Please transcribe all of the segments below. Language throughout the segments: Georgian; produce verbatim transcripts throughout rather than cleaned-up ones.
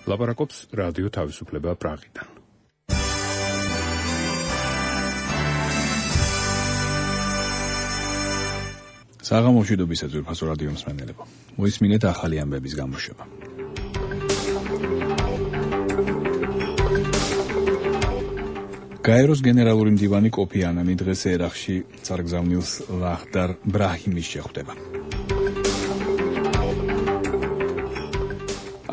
ლაპარაკობს რადიო თავისუფლება პრაღიდან. საღამოშვიდობისა ძვირფასო რადიო მსმენელებო. მოისმინეთ ახალი ამბების გამოშვება. გაეროს გენერალური მდივანი კოფი ანანი დღეს ერაყში წარგზავნილს ლაჰდარ ბრაჰიმის შეხვდება.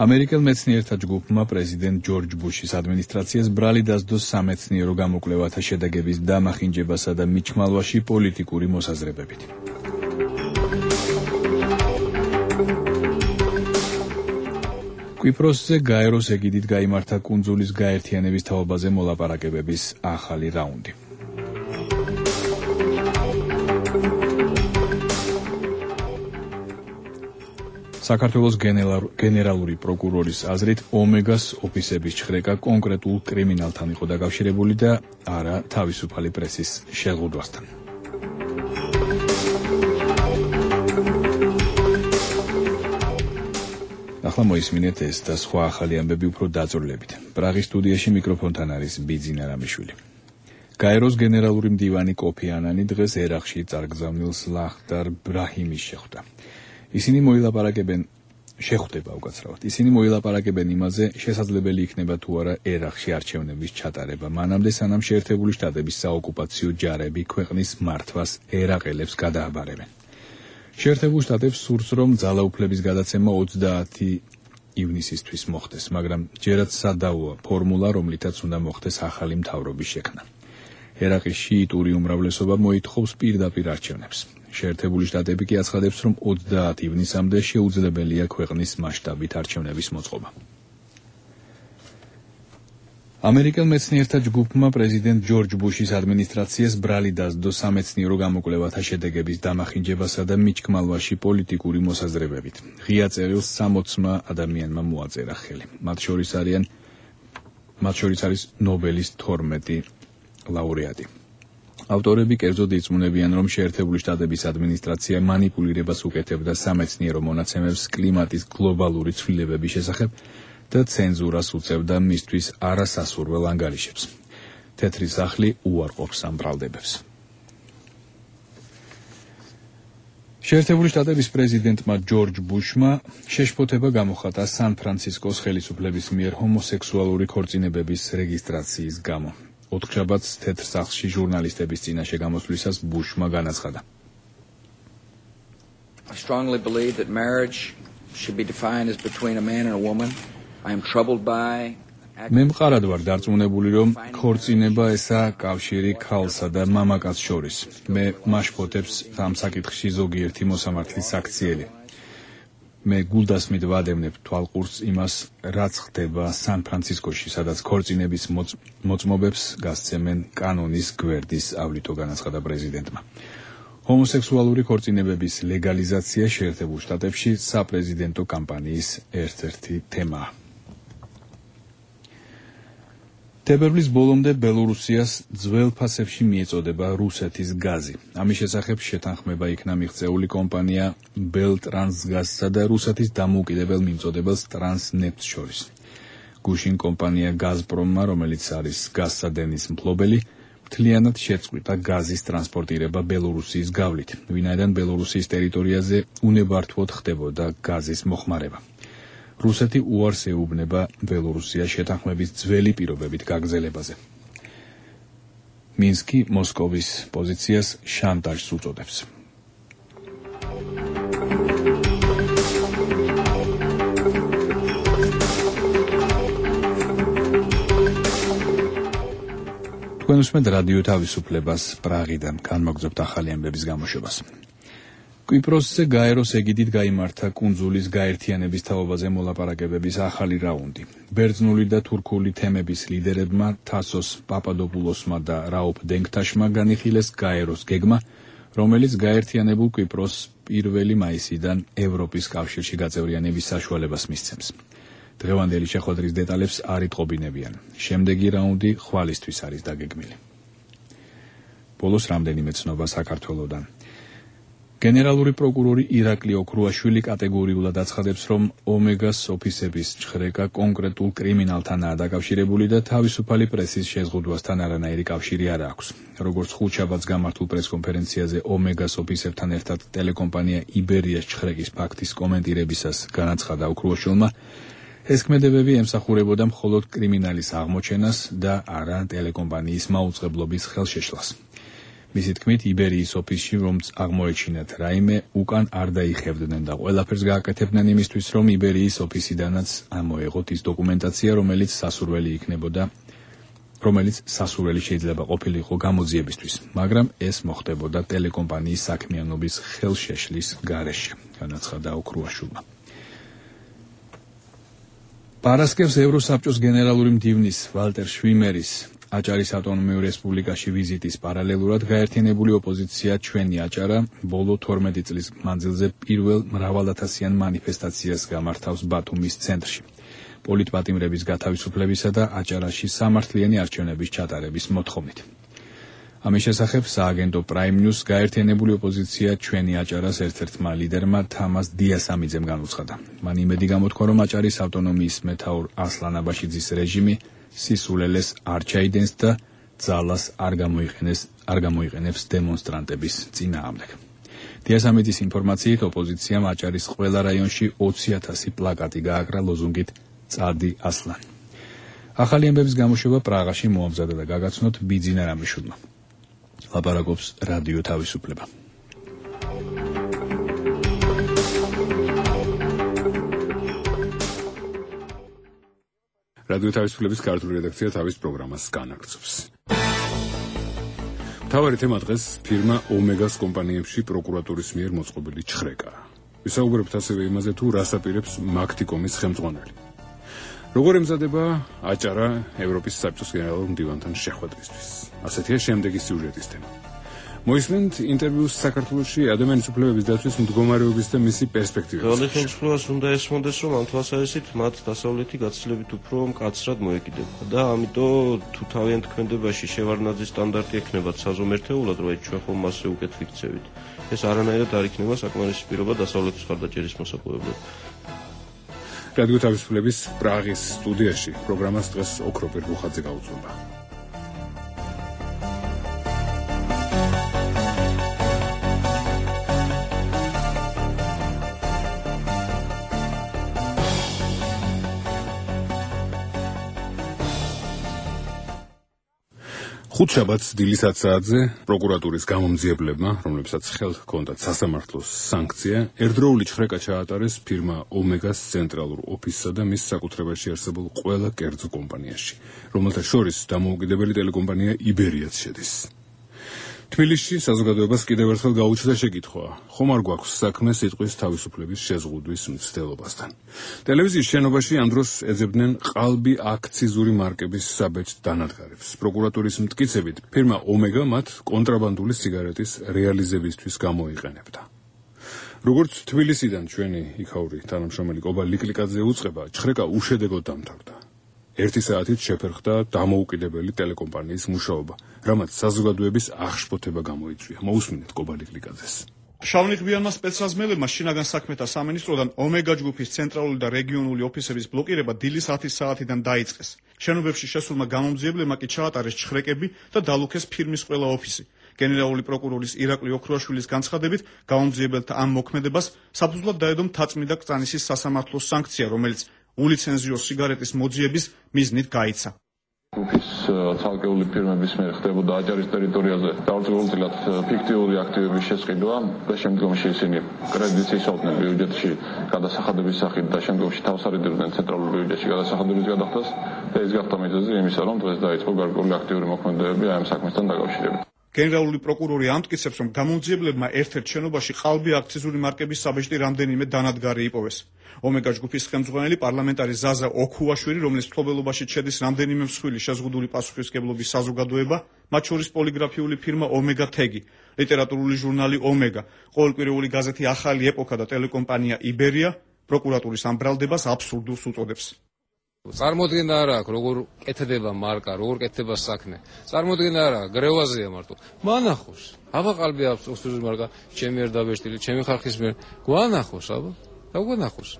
ამერიკელ მეცნიერთა ჯგუფმა პრეზიდენტ ჯორჯ ბუშის ადმინისტრაციას ბრალი დასდო სამეცნიერო გამოკვლევათა შედეგების დამახინჯებასა და მიჩმალვაში პოლიტიკური მოსაზრებებით. კვიპროსზე გაეროს ეგიდით გაიმართა კუნძულის გაერთიანების თაობაზე მოლაპარაკებების ახალი რაუნდი. საქართველოს გენერალური პროკურორის აზრით ომეგას ოფისების ჩხრეკა კონკრეტულ კრიმინალთან იყო დაკავშირებული და არა თავისუფალი პრესის შეღუდვასთან. ახლა მოისმინეთ ეს და სხვა ახალი ამბები უფრო დაწვრილებით. პრაღის სტუდიაში მიკროფონთან არის ბიძინა რამიშვილი. გაეროს გენერალური მდივანი კოფი ანანი დღეს ერაყში წარგზავნილს ლაჰდარ ბრაჰიმის შეხვდა. ისინი მოილაპარაკებენ შეხვდება უკაცრავად. ისინი მოილაპარაკებენ იმაზე, შესაძლებელი იქნება თუ არა ერაყში არჩევნების ჩატარება, მანამდე სანამ შეერთებული შტატების საოკუპაციო ჯარები ქვეყნის მართვას ერაყელებს გადააბარებენ. შეერთებულ შტატებს სურს, რომ ძალაუფლების გადაცემა ოცდაათი ივნისისთვის მოხდეს, მაგრამ ჯერაც სადავოა ფორმულა, რომლითაც უნდა მოხდეს ახალი მთავრობის შექმნა. ერაყის შიიტური უმრავლესობა მოითხოვს პირდაპირ არჩევნებს. შეერთებული შტატები კი აცხადებს, რომ ოცდაათი ივნისამდე შეუძლებელია ქვეყნის მასშტაბით არჩევნების მოწყობა. ამერიკელ მეცნიერთა ჯგუფმა პრეზიდენტ ჯორჯ ბუშის ადმინისტრაციას ბრალი დასდო სამეცნიერო გამოკვლევათა შედეგების დამახინჯებასა და მიჩქმალვაში პოლიტიკური მოსაზრებებით. ღია წერილს სამოცმა ადამიანმა მოაწერა ხელი. მათ შორის არიან მათ შორის არის ნობელის თორმეტი ლაურეატი. ავტორები კერძოდ ირწმუნებიან, რომ შეერთებული შტატების ადმინისტრაცია მანიპულირებას უკეთებდა სამეცნიერო მონაცემებს კლიმატის გლობალური ცვლილებების შესახებ და ცენზურას უწევდა მისთვის არასასურველ ანგარიშებს. თეთრი სახლი უარყოფს ამ ბრალდებებს. შეერთებული შტატების პრეზიდენტმა ჯორჯ ბუშმა შეშფოთება გამოხატა სან-ფრანცისკოს ხელისუფლების მიერ ჰომოსექსუალური ქორწინებების რეგისტრაციის გამო. ოთხშაბათს თეთრ სახლში ჟურნალისტების წინაშე გამოსვლისას ბუშმა განაცხადა. I strongly believe that marriage should be defined as between a man and a woman. I am troubled by მე მყარად ვარ დარწმუნებული, რომ ქორწინება ესაა კავშირი ქალსა და მამაკაცს შორის. მე მაშფოთებს ამ საკითხში ზოგიერთი მოსამართლის აქციელი. მე გულდასმით ვადევნებ თვალყურს იმას, რაც ხდება სან-ფრანცისკოში, სადაც ქორწინების მოწმობებს გასცემენ კანონის გვერდის ავლიტო, განაცხადა პრეზიდენტმა. ჰომოსექსუალური ქორწინებების ლეგალიზაცია შეერთებულ შტატებში საპრეზიდენტო კამპანიის ერთ-ერთი თემაა. თებერვლის ბოლომდე ბელორუსიას ძველ ფასებში მიეწოდება რუსეთის გაზი. ამის შესახებ შეთანხმება იქნა მიღწეული კომპანია ბელტრანსგაზსა და რუსეთის დამოუკიდებელ მიმწოდებელს ტრანსნეფტს შორის. გუშინ კომპანია გაზპრომმა, რომელიც არის გაზსადენის მფლობელი, მთლიანად შეწყვიტა გაზის ტრანსპორტირება ბელორუსიის გავლით, ვინაიდან ბელორუსიის ტერიტორიაზე უნებართვოდ ხდებოდა გაზის მოხმარება. რუსეთი უარს ეუბნება ბელორუსია შეთანხმების ძველი პირობებით გაგრძელებაზე. მინსკი მოსკოვის პოზიციას შანტაჟს უწოდებს. თქვენ უსმენთ რადიო თავისუფლებას პრაღიდან, განმაგზობთ ახალი ამბების გამოშვებას. კვიპროსზე გაეროს ეგიდით გაიმართა კუნძულის გაერთიანების თაობაზე მოლაპარაკებების ახალი რაუნდი. ბერძნული და თურქული თემების ლიდერებმა თასოს პაპადოპულოსმა და რაოფ დენგთაშმა განიხილეს გაეროს გეგმა, რომელიც გაერთიანებულ კვიპროსს პირველი მაისიდან ევროპის კავშირში გაწევრიანების საშუალებას მისცემს. დღევანდელი შეხვედრის დეტალებს არ იტყობინებიან. შემდეგი რაუნდი ხვალისთვის არის დაგეგმილი. ბოლოს რამდენიმე ცნობა საქართველოდან. გენერალური პროკურორი ირაკლი ოქრუაშვილი კატეგორიულად აცხადებს, რომ ომეგას ოფისების ჩხრეკა კონკრეტულ კრიმინალთანაა დაკავშირებული და თავისუფალი პრესის შეზღუდვასთან არანაირი კავშირი არ აქვს. როგორც ხუთშაბათს გამართულ პრესკონფერენციაზე ომეგას ოფისებთან ერთად ტელეკომპანია იბერიას ჩხრეკის ფაქტის კომენტირებისას განაცხადა ოქრუაშვილმა, ეს ქმედებები ემსახურებოდა მხოლოდ კრიმინალის აღმოჩენას და არა ტელეკომპანიის მაუწყებლობის ხელშეშლას. მისი თქმით, იბერიის ოფისში რომც აღმოეჩინათ რაიმე, უკან არ დაიხევდნენ და ყველაფერს გააკეთებდნენ იმისთვის, რომ იბერიის ოფისიდანაც ამოეღოთ ის დოკუმენტაცია, რომელიც სასურველი იქნებოდა, რომელიც სასურველი შეიძლება ყოფილიყო გამოძიებისთვის, მაგრამ ეს მოხდებოდა ტელეკომპანიის საქმიანობის ხელშეშლის გარეშე, განაცხადა ოქრუაშვილმა. პარასკევს ევროსაბჭოს გენერალური მდივნის ვალტერ შვიმერის აჭარის ავტონომიურ რესპუბლიკაში ვიზიტის პარალელურად გაერთიანებული ოპოზიცია ჩვენი აჭარა ბოლო თორმეტი წლის მანძილზე პირველ მრავალათასიან მანიფესტაციას გამართავს ბათუმის ცენტრში, პოლიტპატიმრების გათავისუფლებისა და აჭარაში სამართლიანი არჩევნების ჩატარების მოთხოვნით. ამის შესახებ სააგენტო Prime News გაერთიანებული ოპოზიცია ჩვენი აჭარას ერთ-ერთმა ლიდერმა თამას დიასამიძემ განუცხადა. მან იმედი გამოთქვა, რომ აჭარის ავტონომიის მეთაურ ასლან აბაშიძის რეჟიმი სისულელეს არ ჩაიდენს და ძალას არ გამოიყენებს არ გამოიყენებს დემონსტრანტების წინააღმდეგ. დიასამიძის ინფორმაციით ოპოზიციამ აჭარის ყველა რაიონში ოცი ათასი პლაკატი გააკრა ლოზუნგით წადი ასლან. ახალი ამბების გამოშვება პრაღაში მოამზადა და გაგაცნოთ ბიძინა რამიშვილმა. ლაპარაკობს რადიო თავისუფლება. რადიო თავისუფლების ქართული რედაქცია თავის პროგრამას განაგრძობს. მთავარი თემა დღეს ფირმა ომეგას კომპანიებში პროკურატურის მიერ მოწყობილი ჩხრეკა. ვისაუბრებთ ასევე იმაზე, თუ რას აპირებს მაგთიკომის ხელმძღვანელი. როგორ ემზადება აჭარა ევროპის საბჭოს გენერალურ მდივანთან შეხვედრისთვის. ასეთია შემდეგი სიუჟეტის თემა. მოისმენთ ინტერვიუს საქართველოში ადამიანის უფლებების დაცვის მდგომარეობის და მისი პერსპექტივების. ყოველი ხელისუფლებას უნდა ესმოდეს, რომ ამ თვალსაზრისით მათ დასავლეთი გაცილებით უფრო მკაცრად მოეკიდება და ამიტომ თუ თავიანთ ქმედებაში შევარდნაძის სტანდარტი ექნებათ საზომ ერთეულად, რომ ჩვენ ხომ მასზე უკეთ ვიქცევით. ეს არანაირად არ იქნება საკმარისი პირობა დასავლეთის მხარდაჭერის მოსაპოვებლად. რადიო თავისუფლების პრაღის სტუდიაში პროგრამას დღეს ოქროპერ ბუხაძე გაუძღვება. ხუთშაბათს დილის ათ საათზე პროკურატურის გამომძიებლებმა, რომლებსაც ხელთ ჰქონდათ სასამართლოს სანქცია, ერთდროული ჩხრეკა ჩაატარეს ფირმა ომეგას ცენტრალურ ოფისსა და მის საკუთრებაში არსებულ ყველა კერძო კომპანიაში, რომელთა შორის დამოუკიდებელი ტელეკომპანია იბერიაც შედის. თბილისში საზოგადოებას კიდევ ერთხელ გაუჩნდა შეკითხვა, ხომ არ გვაქვს საქმე სიტყვის თავისუფლების შეზღუდვის მცდელობასთან. ტელევიზიის შენობაში ამ დროს ეძებდნენ ყალბი აქციზური მარკების საბეჭდ დანადგარებს. პროკურატურის მტკიცებით, ფირმა ომეგა მათ კონტრაბანდული სიგარეტის რეალიზებისთვის გამოიყენებდა. როგორც თბილისიდან ჩვენი იქაური თანამშრომელი კობა ლიკლიკაძე უწყება, ჩხრეკა უშედეგოდ დამთავრდა. ერთი საათით შეფერხდა დამოუკიდებელი ტელეკომპანიის მუშაობა, რამაც საზოგადოების აღშფოთება გამოიწვია. მოусმინეთ კობა ლიკლიკაძეს. შავნიღბიანმა სპეცრაზმელებმა შინაგან საქმეთა სამინისტროდან ომეგა ჯგუფის ცენტრალური და რეგიონული ოფისების ბლოკირება დილის ათი საათიდან დაიწყეს. შენობებში შესულმა გამომძიებლებმა კი ჩაატარეს ჩხრეკები და დალუქეს ფირმის ყველა ოფისი. გენერალური პროკურორის ირაკლი ოქრუაშვილის განცხადებით, გამომძიებელთა ამ მოქმედებას საფუძვლად დაედო მთაწმიდა კრწანისის სასამართლოს სანქცია, რომელიც ულიცენზიო სიგარეტის მოძიების მიზნით გაიცა. ჯგუფის ცალკეული ფირმების მიერ ხდებოდა აჭარის ტერიტორიაზე დაუწყებლად ფიქტიური აქტივების შესყიდვა და შემდგომში ისინი კრედიტს ისავდნენ ბიუჯეტში გადასახადების სახით და შემდგომში თავს არიდებდნენ ცენტრალურ ბიუჯეტში გადასახადების გადახდას და ეს გახდა მიზეზი იმისა, რომ დღეს დაიწყო გარკვეული აქტიური მოქმედებები ამ საქმესთან დაკავშირებით. გენერალური პროკურორი ამტკიცებს, რომ გამომძიებლებმა ერთ-ერთ შენობაში ყალბი აქციზური მარკების საბეჭდი რამდენიმე დანადგარი იპოვეს. ომეგა ჯგუფის ხელმძღვანელი პარლამენტარი ზაზა ოქუაშვილი, რომელიც მფლობელობაში შედის რამდენიმე მსხვილი შეზღუდული პასუხისმგებლობის საზოგადოება, მათ შორის პოლიგრაფიული ფირმა ომეგა თეგი, ლიტერატურული ჟურნალი ომეგა, ყოველკვირეული გაზეთი ახალი ეპოქა და ტელეკომპანია იბერია, პროკურატურის ამ ბრალდებას აბსურდულს უწოდებს. წარმოადგენდა არა აქვს როგორ კეთდება მარკა, როგორ კეთდება საქმე. წარმოადგენდა არა გრევაზეა მარტო. მანახოს. აბა ყალბი აქვს უსუზი მარკა, ჩემი არ დაბეჭდილი, ჩემი ხალხის მიერ. გვანახოს აბა. და გვანახოს.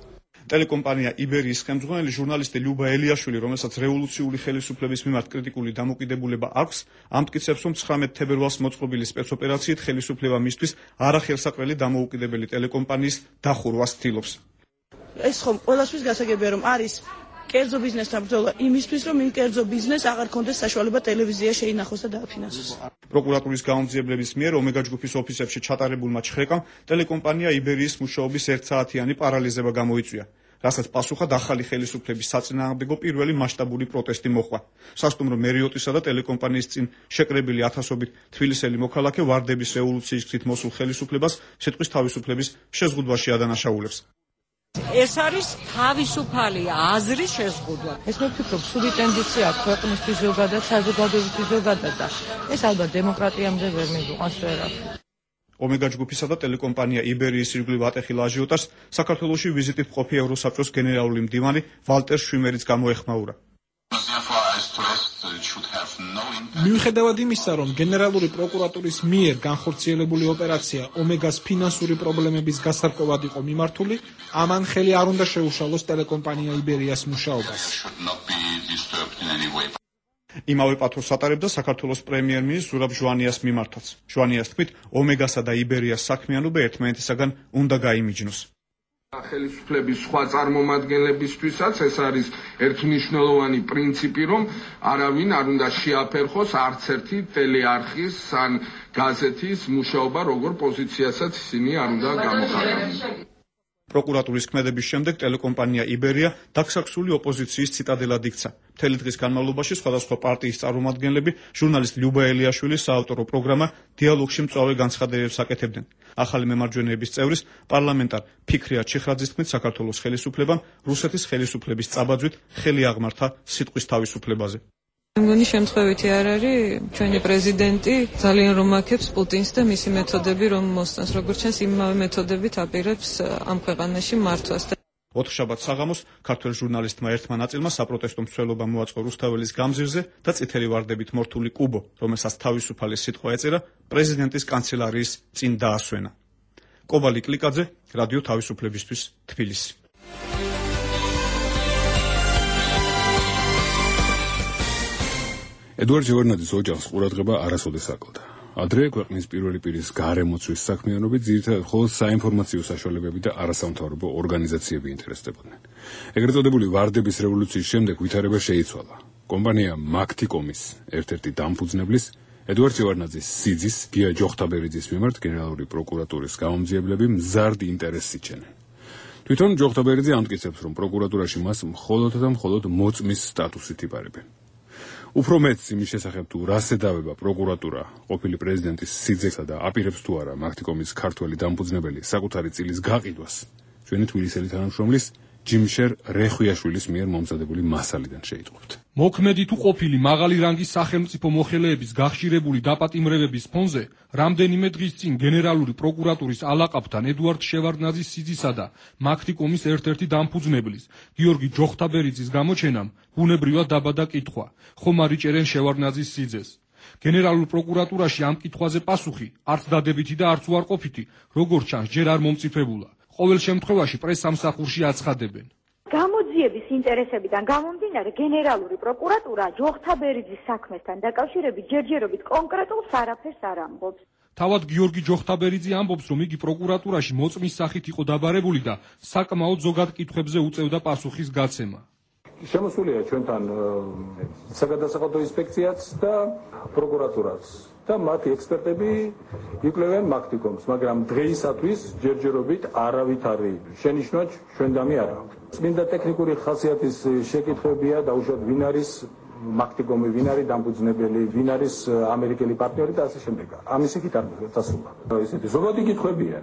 ტელეკომპანია იბერიის ხელმძღვანელი ჟურნალისტი ლიუბა ელიაშვილი, რომელსაც რევოლუციური ხელისუფლების მიმართ კრიტიკული დამოკიდებულება აქვს, ამტკიცებს, რომ ცხრამეტ თებერვალს მოწყობილი სპეცოპერაციით ხელისუფლება მისთვის არახელსაყრელი დამოუკიდებელი ტელეკომპანიის დახურვას ცდილობს. ეს ხომ ყველასთვის გასაგებია, რომ არის კერძო ბიზნესთან ბრძოლა იმისთვის, რომ იმ კერძო ბიზნესს აღარ ქონდეს საშუალება ტელევიზია შეინახოს და დააფინანსოს. პროკურატურის გამომძიებლების მიერ ომეგა ჯგუფის ოფისებში ჩატარებულმა ჩხრეკამ ტელეკომპანია იბერიის მუშაობის ერთსაათიანი პარალიზება გამოიწვია, რასაც პასუხად ახალი ხელისუფლების საწინააღმდეგო პირველი მასშტაბური პროტესტი მოჰყვა. სასტუმრო მერიოტისა და ტელეკომპანიის წინ შეკრებილი ათასობით თბილისელი მოქალაქე ვარდების რევოლუციის გზით მოსულ ხელისუფლებას სიტყვის თავისუფლების შეზღუდვაში ადანაშაულებს. ეს არის თავისუფალი აზრის შეზღუდვა. ეს მე ვფიქრობ, სული ტენდენცია ქვეყნისთვის ზოგადად, საზოგადოებისთვის ზოგადად და ეს ალბათ დემოკრატიამდე ვერ მიგვიყვანს ვერავინ. ომეგა ჯგუფისა და ტელეკომპანია იბერიის ირგვლივ ატეხილ აჟიოტაჟს საქართველოში ვიზიტით მყოფი ევროსაბჭოს გენერალური მდივანი ვალტერ შვიმერიც გამოეხმაურა. მიუხედავად იმისა, რომ გენერალური პროკურატურის მიერ განხორციელებული ოპერაცია ომეგას ფინანსური პრობლემების გასარკვევად იყო მიმართული, ამან ხელი არ უნდა შეუშალოს ტელეკომპანია იბერიას მუშაობას. იმავე პათურს ატარებდა საქართველოს პრემიერ-მინისტრ ზურაბ ჟვანიას მიმართაც. ჟვანიას თქმით, ომეგასა და იბერიას საქმიანობა ერთმანეთისაგან უნდა გაიმიჯნოს. ხელისუფლების სხვა წარმომადგენლებისთვისაც ეს არის ერთმნიშვნელოვანი პრინციპი, რომ არავინ არ უნდა შეაფერხოს არც ერთი ტელეარხის ან გაზეთის მუშაობა, როგორ პოზიციასაც ისინი არ უნდა გამოხატავენ. პროკურატურის ქმედების შემდეგ ტელეკომპანია იბერია დაქსაქსული ოპოზიციის ციტადელად იქცა. მთელი დღის განმავლობაში სხვადასხვა პარტიის წარმომადგენლები ჟურნალისტ ლიუბა ელიაშვილის საავტორო პროგრამა დიალოგში მწვავე განცხადებებს აკეთებდნენ. ახალი მემარჯვენეების წევრის პარლამენტარ ფიქრია ჩიხრაძის თქმით, საქართველოს ხელისუფლებამ რუსეთის ხელისუფლების წაბაძვით ხელი აღმართა სიტყვის თავისუფლებაზე. მგონი შემთხვევითი არ არის, ჩვენი პრეზიდენტი ძალიან რომ აქებს პუტინს და მისი მეთოდები რომ მოსწონს, როგორც ჩანს, იმავე მეთოდებით აპირებს ამ ქვეყანაში მართვას. ოთხშაბათს საღამოს ქართველ ჟურნალისტმა ერთმა ნაწილმა საპროტესტო მსვლელობა მოაწყო რუსთაველის გამზირზე და წითელი ვარდებით მორთული კუბო, რომელსაც თავისუფალი სიტყვა ეწერა, პრეზიდენტის კანცელარიის წინ დაასვენა. კობალი კლიკაძე, რადიო თავისუფლებისთვის, თბილისი. ედუარდ ჟევარნაძის ოჯახს ყურადღება არასოდეს აკლდა. ადრე ქვეყნის პირველი პირის გარემოცვის საქმიანობით ძირითადად მხოლოდ საინფორმაციო საშუალებები და არასამთავრობო ორგანიზაციები ინტერესდებოდნენ. ეგრეთ წოდებული ვარდების რევოლუციის შემდეგ ვითარება შეიცვალა. კომპანია მაქტიკომის ერთ-ერთი დამფუძნებლის ედუარდ ჟევარნაძის სიძის გია ჯოხთაბერიძის მიმართ გენერალური პროკურატურის გამომძიებლები მზარდ ინტერესს იჩენენ. თვითონ ჯოხთაბერიძე ამტკიცებს, რომ პროკურატურაში მას მხოლოდ და მხოლოდ მოწმის სტატუსით იბარებენ. უფრო მეც იმის შესახებ თუ რას ედავება პროკურატურა ყოფილი პრეზიდენტის სიძესა და აპირებს თუ არა მაქტიკომის ქართველი დამფუძნებელი საკუთარი წილის გაყიდვას ჩვენი თბილისელი თანამშრომლის ჯიმშერ რეხვიაშვილის მიერ მომზადებული მასალიდან შეიტყობთ. მოქმედი თუ ყოფილი მაღალი რანგის სახელმწიფო მოხელეების გახშირებული დაპატიმრებების ფონზე რამდენიმე დღის წინ გენერალური პროკურატურის ალაყაფთან ედუარდ შევარდნაძის სიძისა და მაქტიკომის ერთ-ერთი დამფუძნებლის გიორგი ჯოხთაბერიძის გამოჩენამ ბუნებრივად დაბადა კითხვა, ხომ არ იჭერენ შევარდნაძის სიძეს. გენერალურ პროკურატურაში ამ კითხვაზე პასუხი არც დადებითი და არც უარყოფითი, როგორც ჩანს, ჯერ არ მომწიფებულა. ყოველ შემთხვევაში პრესსამსახურში აცხადებენ. გამოძიების ინტერესებიდან გამომდინარე გენერალური პროკურატურა ჯოხთაბერიძის საქმესთან დაკავშირებით ჯერჯერობით კონკრეტულ არაფერს არ ამბობს. თავად გიორგი ჯოხთაბერიძე ამბობს, რომ იგი პროკურატურაში მოწმის სახით იყო დაბარებული და საკმაოდ ზოგად კითხვებზე უწევდა პასუხის გაცემა. შემოსულია ჩვენთან საგადასახადო ინსპექციაც და პროკურატურაც და მათი ექსპერტები იკვლევენ მაქტიკომს, მაგრამ დღეისათვის ჯერჯერობით არავით არ შენიშნა ჩვენდამი არა. წმინდა ტექნიკური ხასიათის შეკითხვებია დაუშვათ ვინ არის მაქტიკომი, ვინ არის დამფუძნებელი, ვინ არის ამერიკელი პარტნიორი და ასე შემდეგ. ამის იქით არ დასრულდა. ესეთი ზოგადი კითხვებია.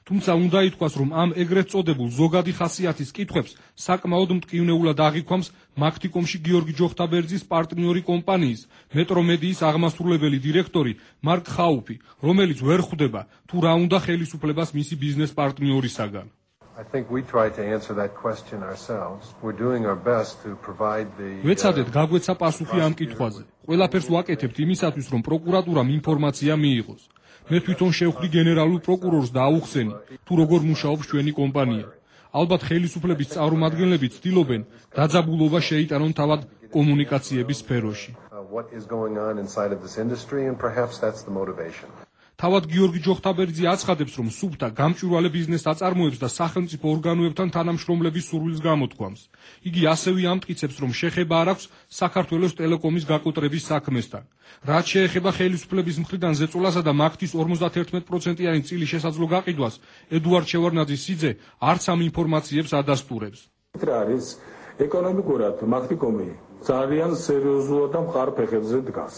თუმცა უნდა ითქვას, რომ ამ ეგრეთ წოდებულ ზოგადი ხასიათის კითხვებს საკმაოდ მტკივნეულად აღიქვამს მაქტიკომში გიორგი ჯოხთაბერიძის პარტნიორი კომპანიის მეტრომედიის აღმასრულებელი დირექტორი მარკ ხაუფი, რომელიც ვერ ხვდება თუ რა უნდა ხელისუფლებას მისი ბიზნეს პარტნიორისაგან. I think we try to answer that question ourselves. We're doing our best to provide the ვეცადეთ გაგვეცა პასუხი ამ კითხვაზე. ყველაფერს ვაკეთებთ იმისათვის, რომ პროკურატურამ ინფორმაცია მიიღოს. მე თვითონ შევხვდი გენერალურ პროკურორს და აუხსენი, თუ როგორ მუშაობს ჩვენი კომპანია. ალბათ ხელისუფლების წარმომადგენლები ცდილობენ დაძაბულობა შეიტანონ თავად კომუნიკაციების სფეროში. what is going on inside of this industry and perhaps that's the motivation. თავად გიორგი ჯოხთაბერიძე აცხადებს, რომ სუფთა გამჭვირვალე ბიზნესს აწარმოებს და სახელმწიფო ორგანოებთან თანამშრომლების სურვილს გამოთქვამს. იგი ასევე ამტკიცებს, რომ შეხება არ აქვს საქართველოს ტელეკომის გაკოტრების საქმესთან. რაც შეეხება ხელისუფლების მხრიდან ზეწოლასა და მაგთის ორმოცდაერთმეტი პროცენტიანი წილი შესაძლო გაყიდვას, ედუარდ შევარნაძის სიძე არც ამ ინფორმაციებს ადასტურებს. რა არის ეკონომიკურად მაგთიკომი ძალიან სერიოზულად და მყარ ფეხებზე დგას.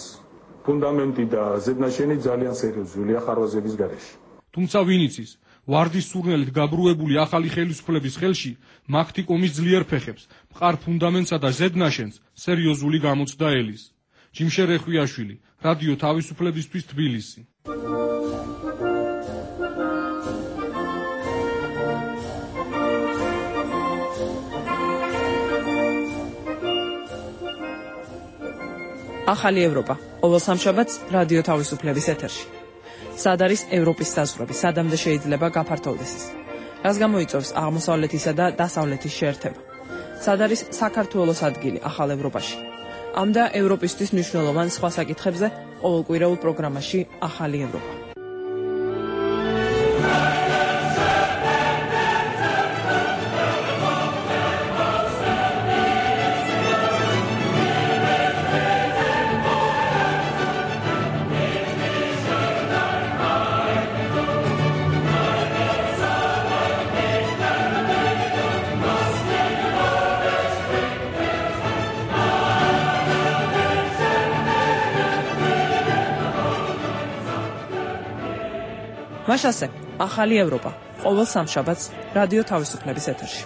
ფუნდამენტი და ზედნაშენი ძალიან სერიოზულია ხარვაზების გარეშე. თუმცა ვინ იცის, ვარდის სურნელით გაბრუებული ახალი ხელისუფლების ხელში მაგთიკომის ძლიერ ფეხებს, მყარ ფუნდამენტსა და ზედნაშენს სერიოზული გამოცდა ელის. ჯიმშე რეხვიაშვილი, რადიო თავისუფლებისთვის თბილისი. ახალი ევროპა. ყოველ სამშაბათს რადიო თავისუფლების ეთერში. სად არის ევროპის საზღვრები, სადამდე შეიძლება გაფართოვდეს ის? რას გამოიწვევს აღმოსავლეთისა და დასავლეთის შეერთება? სად არის საქართველოს ადგილი ახალ ევროპაში? ამ და ევროპისთვის მნიშვნელოვან სხვა საკითხებზე ყოველკვირეულ პროგრამაში ახალი ევროპა. მაშასე, ახალი ევროპა, ყოველ სამშაბათს რადიო თავისუფლების ეთერში.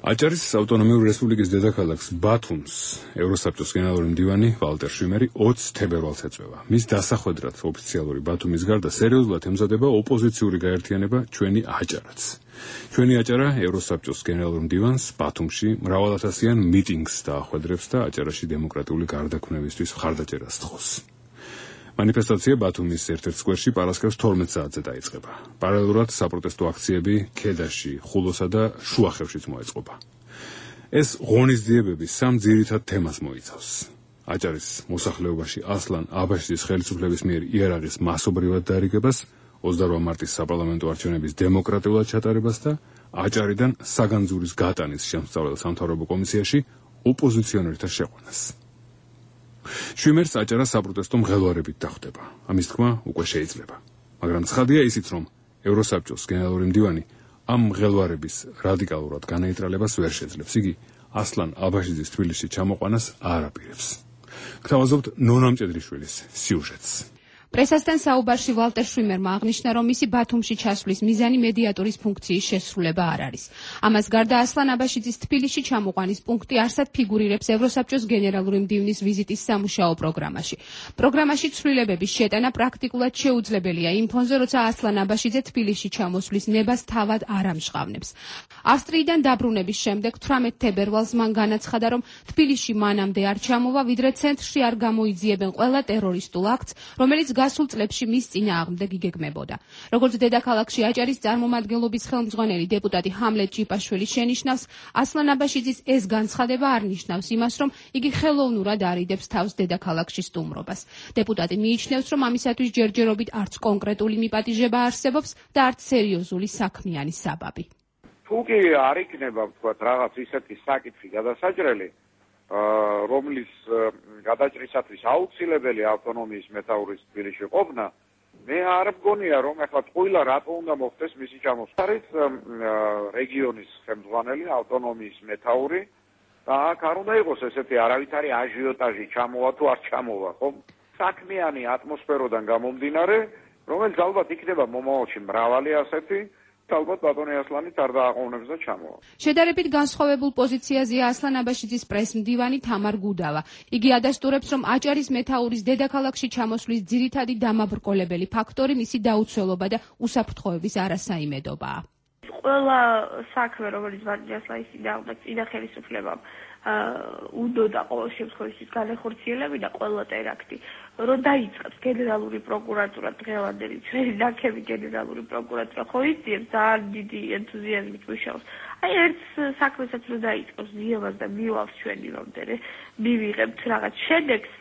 აჭარის ავტონომიური რესპუბლიკის დედაქალაქს ბათუმს ევროსაბჭოს გენერალური მდივანი ვალტერ შვიმერი ოცი თებერვალს ეწვევა. მის დასახვედრად ოფიციალური ბათუმის გარდა სერიოზულად ემზადება ოპოზიციური გაერთიანება ჩვენი აჭარაც. ჩვენი აჭარა ევროსაბჭოს გენერალურ მდივანს ბათუმში მრავალათასიან მიტინგს დაახვედრებს და აჭარაში დემოკრატიული გარდაქმნებისთვის მხარდაჭერას თხოვს. მანიფესტაცია ბათუმის ერთ-ერთ სკვერში პარასკევს თორმეტ საათზე დაიწყება. პარალელურად საპროტესტო აქციები ქედაში, ხულოსა და შუახევშიც მოეწყობა. ეს ღონისძიებები სამ ძირითად თემას მოიცავს. აჭარის მოსახლეობაში ასლან აბაშიძის ხელისუფლების მიერ იარაღის მასობრივად დარიგებას, ოცდაოთხ მარტის საპარლამენტო არჩევნების დემოკრატიულად ჩატარებას და აჭარიდან საგანძურის გატანის შემსწავლელ სამთავრობო კომისიაში ოპოზიციონერთა შეყვანას. შვიმერს აჭარა საპროტესტო მღელვარებით დახვდება. ამის თქმა უკვე შეიძლება. მაგრამ ცხადია ისიც, რომ ევროსაბჭოს გენერალური მდივანი ამ მღელვარების რადიკალურად განაიტრალებას ვერ შეძლებს. იგი ასლან აბაშიძის თბილისში ჩამოყვანას არ აპირებს. გთავაზობთ ნონა მჭედრიშვილის სიუჟეტს. პრესასთან საუბარში ვალტერ შვიმერმა აღნიშნა, რომ მისი ბათუმში ჩასვლის მიზანი მედიატორის ფუნქციის შესრულება არ არის. ამას გარდა ასლან აბაშიძის თბილისში ჩამოყვანის პუნქტი არსად ფიგურირებს ევროსაბჭოს გენერალური მდივნის ვიზიტის სამუშაო პროგრამაში. პროგრამაში ცვლილებების შეტანა პრაქტიკულად შეუძლებელია იმ ფონზე, როცა ასლან აბაშიძე თბილისში ჩამოსვლის ნებას თავად არ ამჟღავნებს. ავსტრიიდან დაბრუნების შემდეგ თვრამეტ თებერვალს მან განაცხადა, რომ თბილისში მანამდე არ ჩამოვა, ვიდრე ცენტრში არ გამოიძიებენ ყველა ტერორისტულ აქტს, რომელიც გასულ წლებში მის წინააღმდეგ იგეგმებოდა. როგორც დედაქალაქში აჭარის წარმომადგენლობის ხელმძღვანელი დეპუტატი ჰამლეტ ჭიპაშვილი შენიშნავს, ასლან აბაშიძის ეს განცხადება არ ნიშნავს იმას, რომ იგი ხელოვნურად არიდებს თავს დედაქალაქში სტუმრობას. დეპუტატი მიიჩნევს, რომ ამისათვის ჯერჯერობით არც კონკრეტული მიპატიჟება არსებობს და არც სერიოზული საქმიანი საბაბი. თუ კი არ იქნება, ვთქვათ, რაღაც ისეთი საკითხი გადასაჭრელი, რომლის გადაჭრისათვის აუცილებელი ავტონომიის მეთაურის თბილისში ყოფნა, მე არ მგონია რომ ახლა ყველა რატო უნდა მოხდეს მისი ჩამოსვლა. არის რეგიონის ხელმძღვანელი, ავტონომიის მეთაური და აქ არ უნდა იყოს ესეთი არავითარი აჟიოტაჟი ჩამოვა თუ არ ჩამოვა, ხო? საქმიანი ატმოსფეროდან გამომდინარე, რომელიც ალბათ იქნება მომავალში მრავალი ასეთი, ალბათ ბატონი ასლანით არ დააყოვნებს და ჩამოვა. შედარებით განსხვავებულ პოზიციაზეა ასლან აბაშიძის პრესმდივანი თამარ გუდავა. იგი ადასტურებს, რომ აჭარის მეთაურის დედაქალაქში ჩამოსვლის ძირითადი დამაბრკოლებელი ფაქტორი მისი დაუცველობა და უსაფრთხოების არასაიმედობაა. ყველა საქმე, რომელიც ბატონი ასლანის წინააღმდეგ წინა ხელისუფლებამ უდოდა ყოველ შემთხვევაში განახორციელებინა და ყველა ტერაქტი, რომ დაიწყებს გენერალური პროკურატურა დღევანდელი ჩვენი ნაკები გენერალური პროკურატურა ხო იცით ძალიან დიდი ენთუზიაზმით მუშაობს. აი ერთ საქმესაც რომ დაიწყოს ზიებას და მივალს ჩვენი რომდერე მივიღებთ რაღაც შედეგს,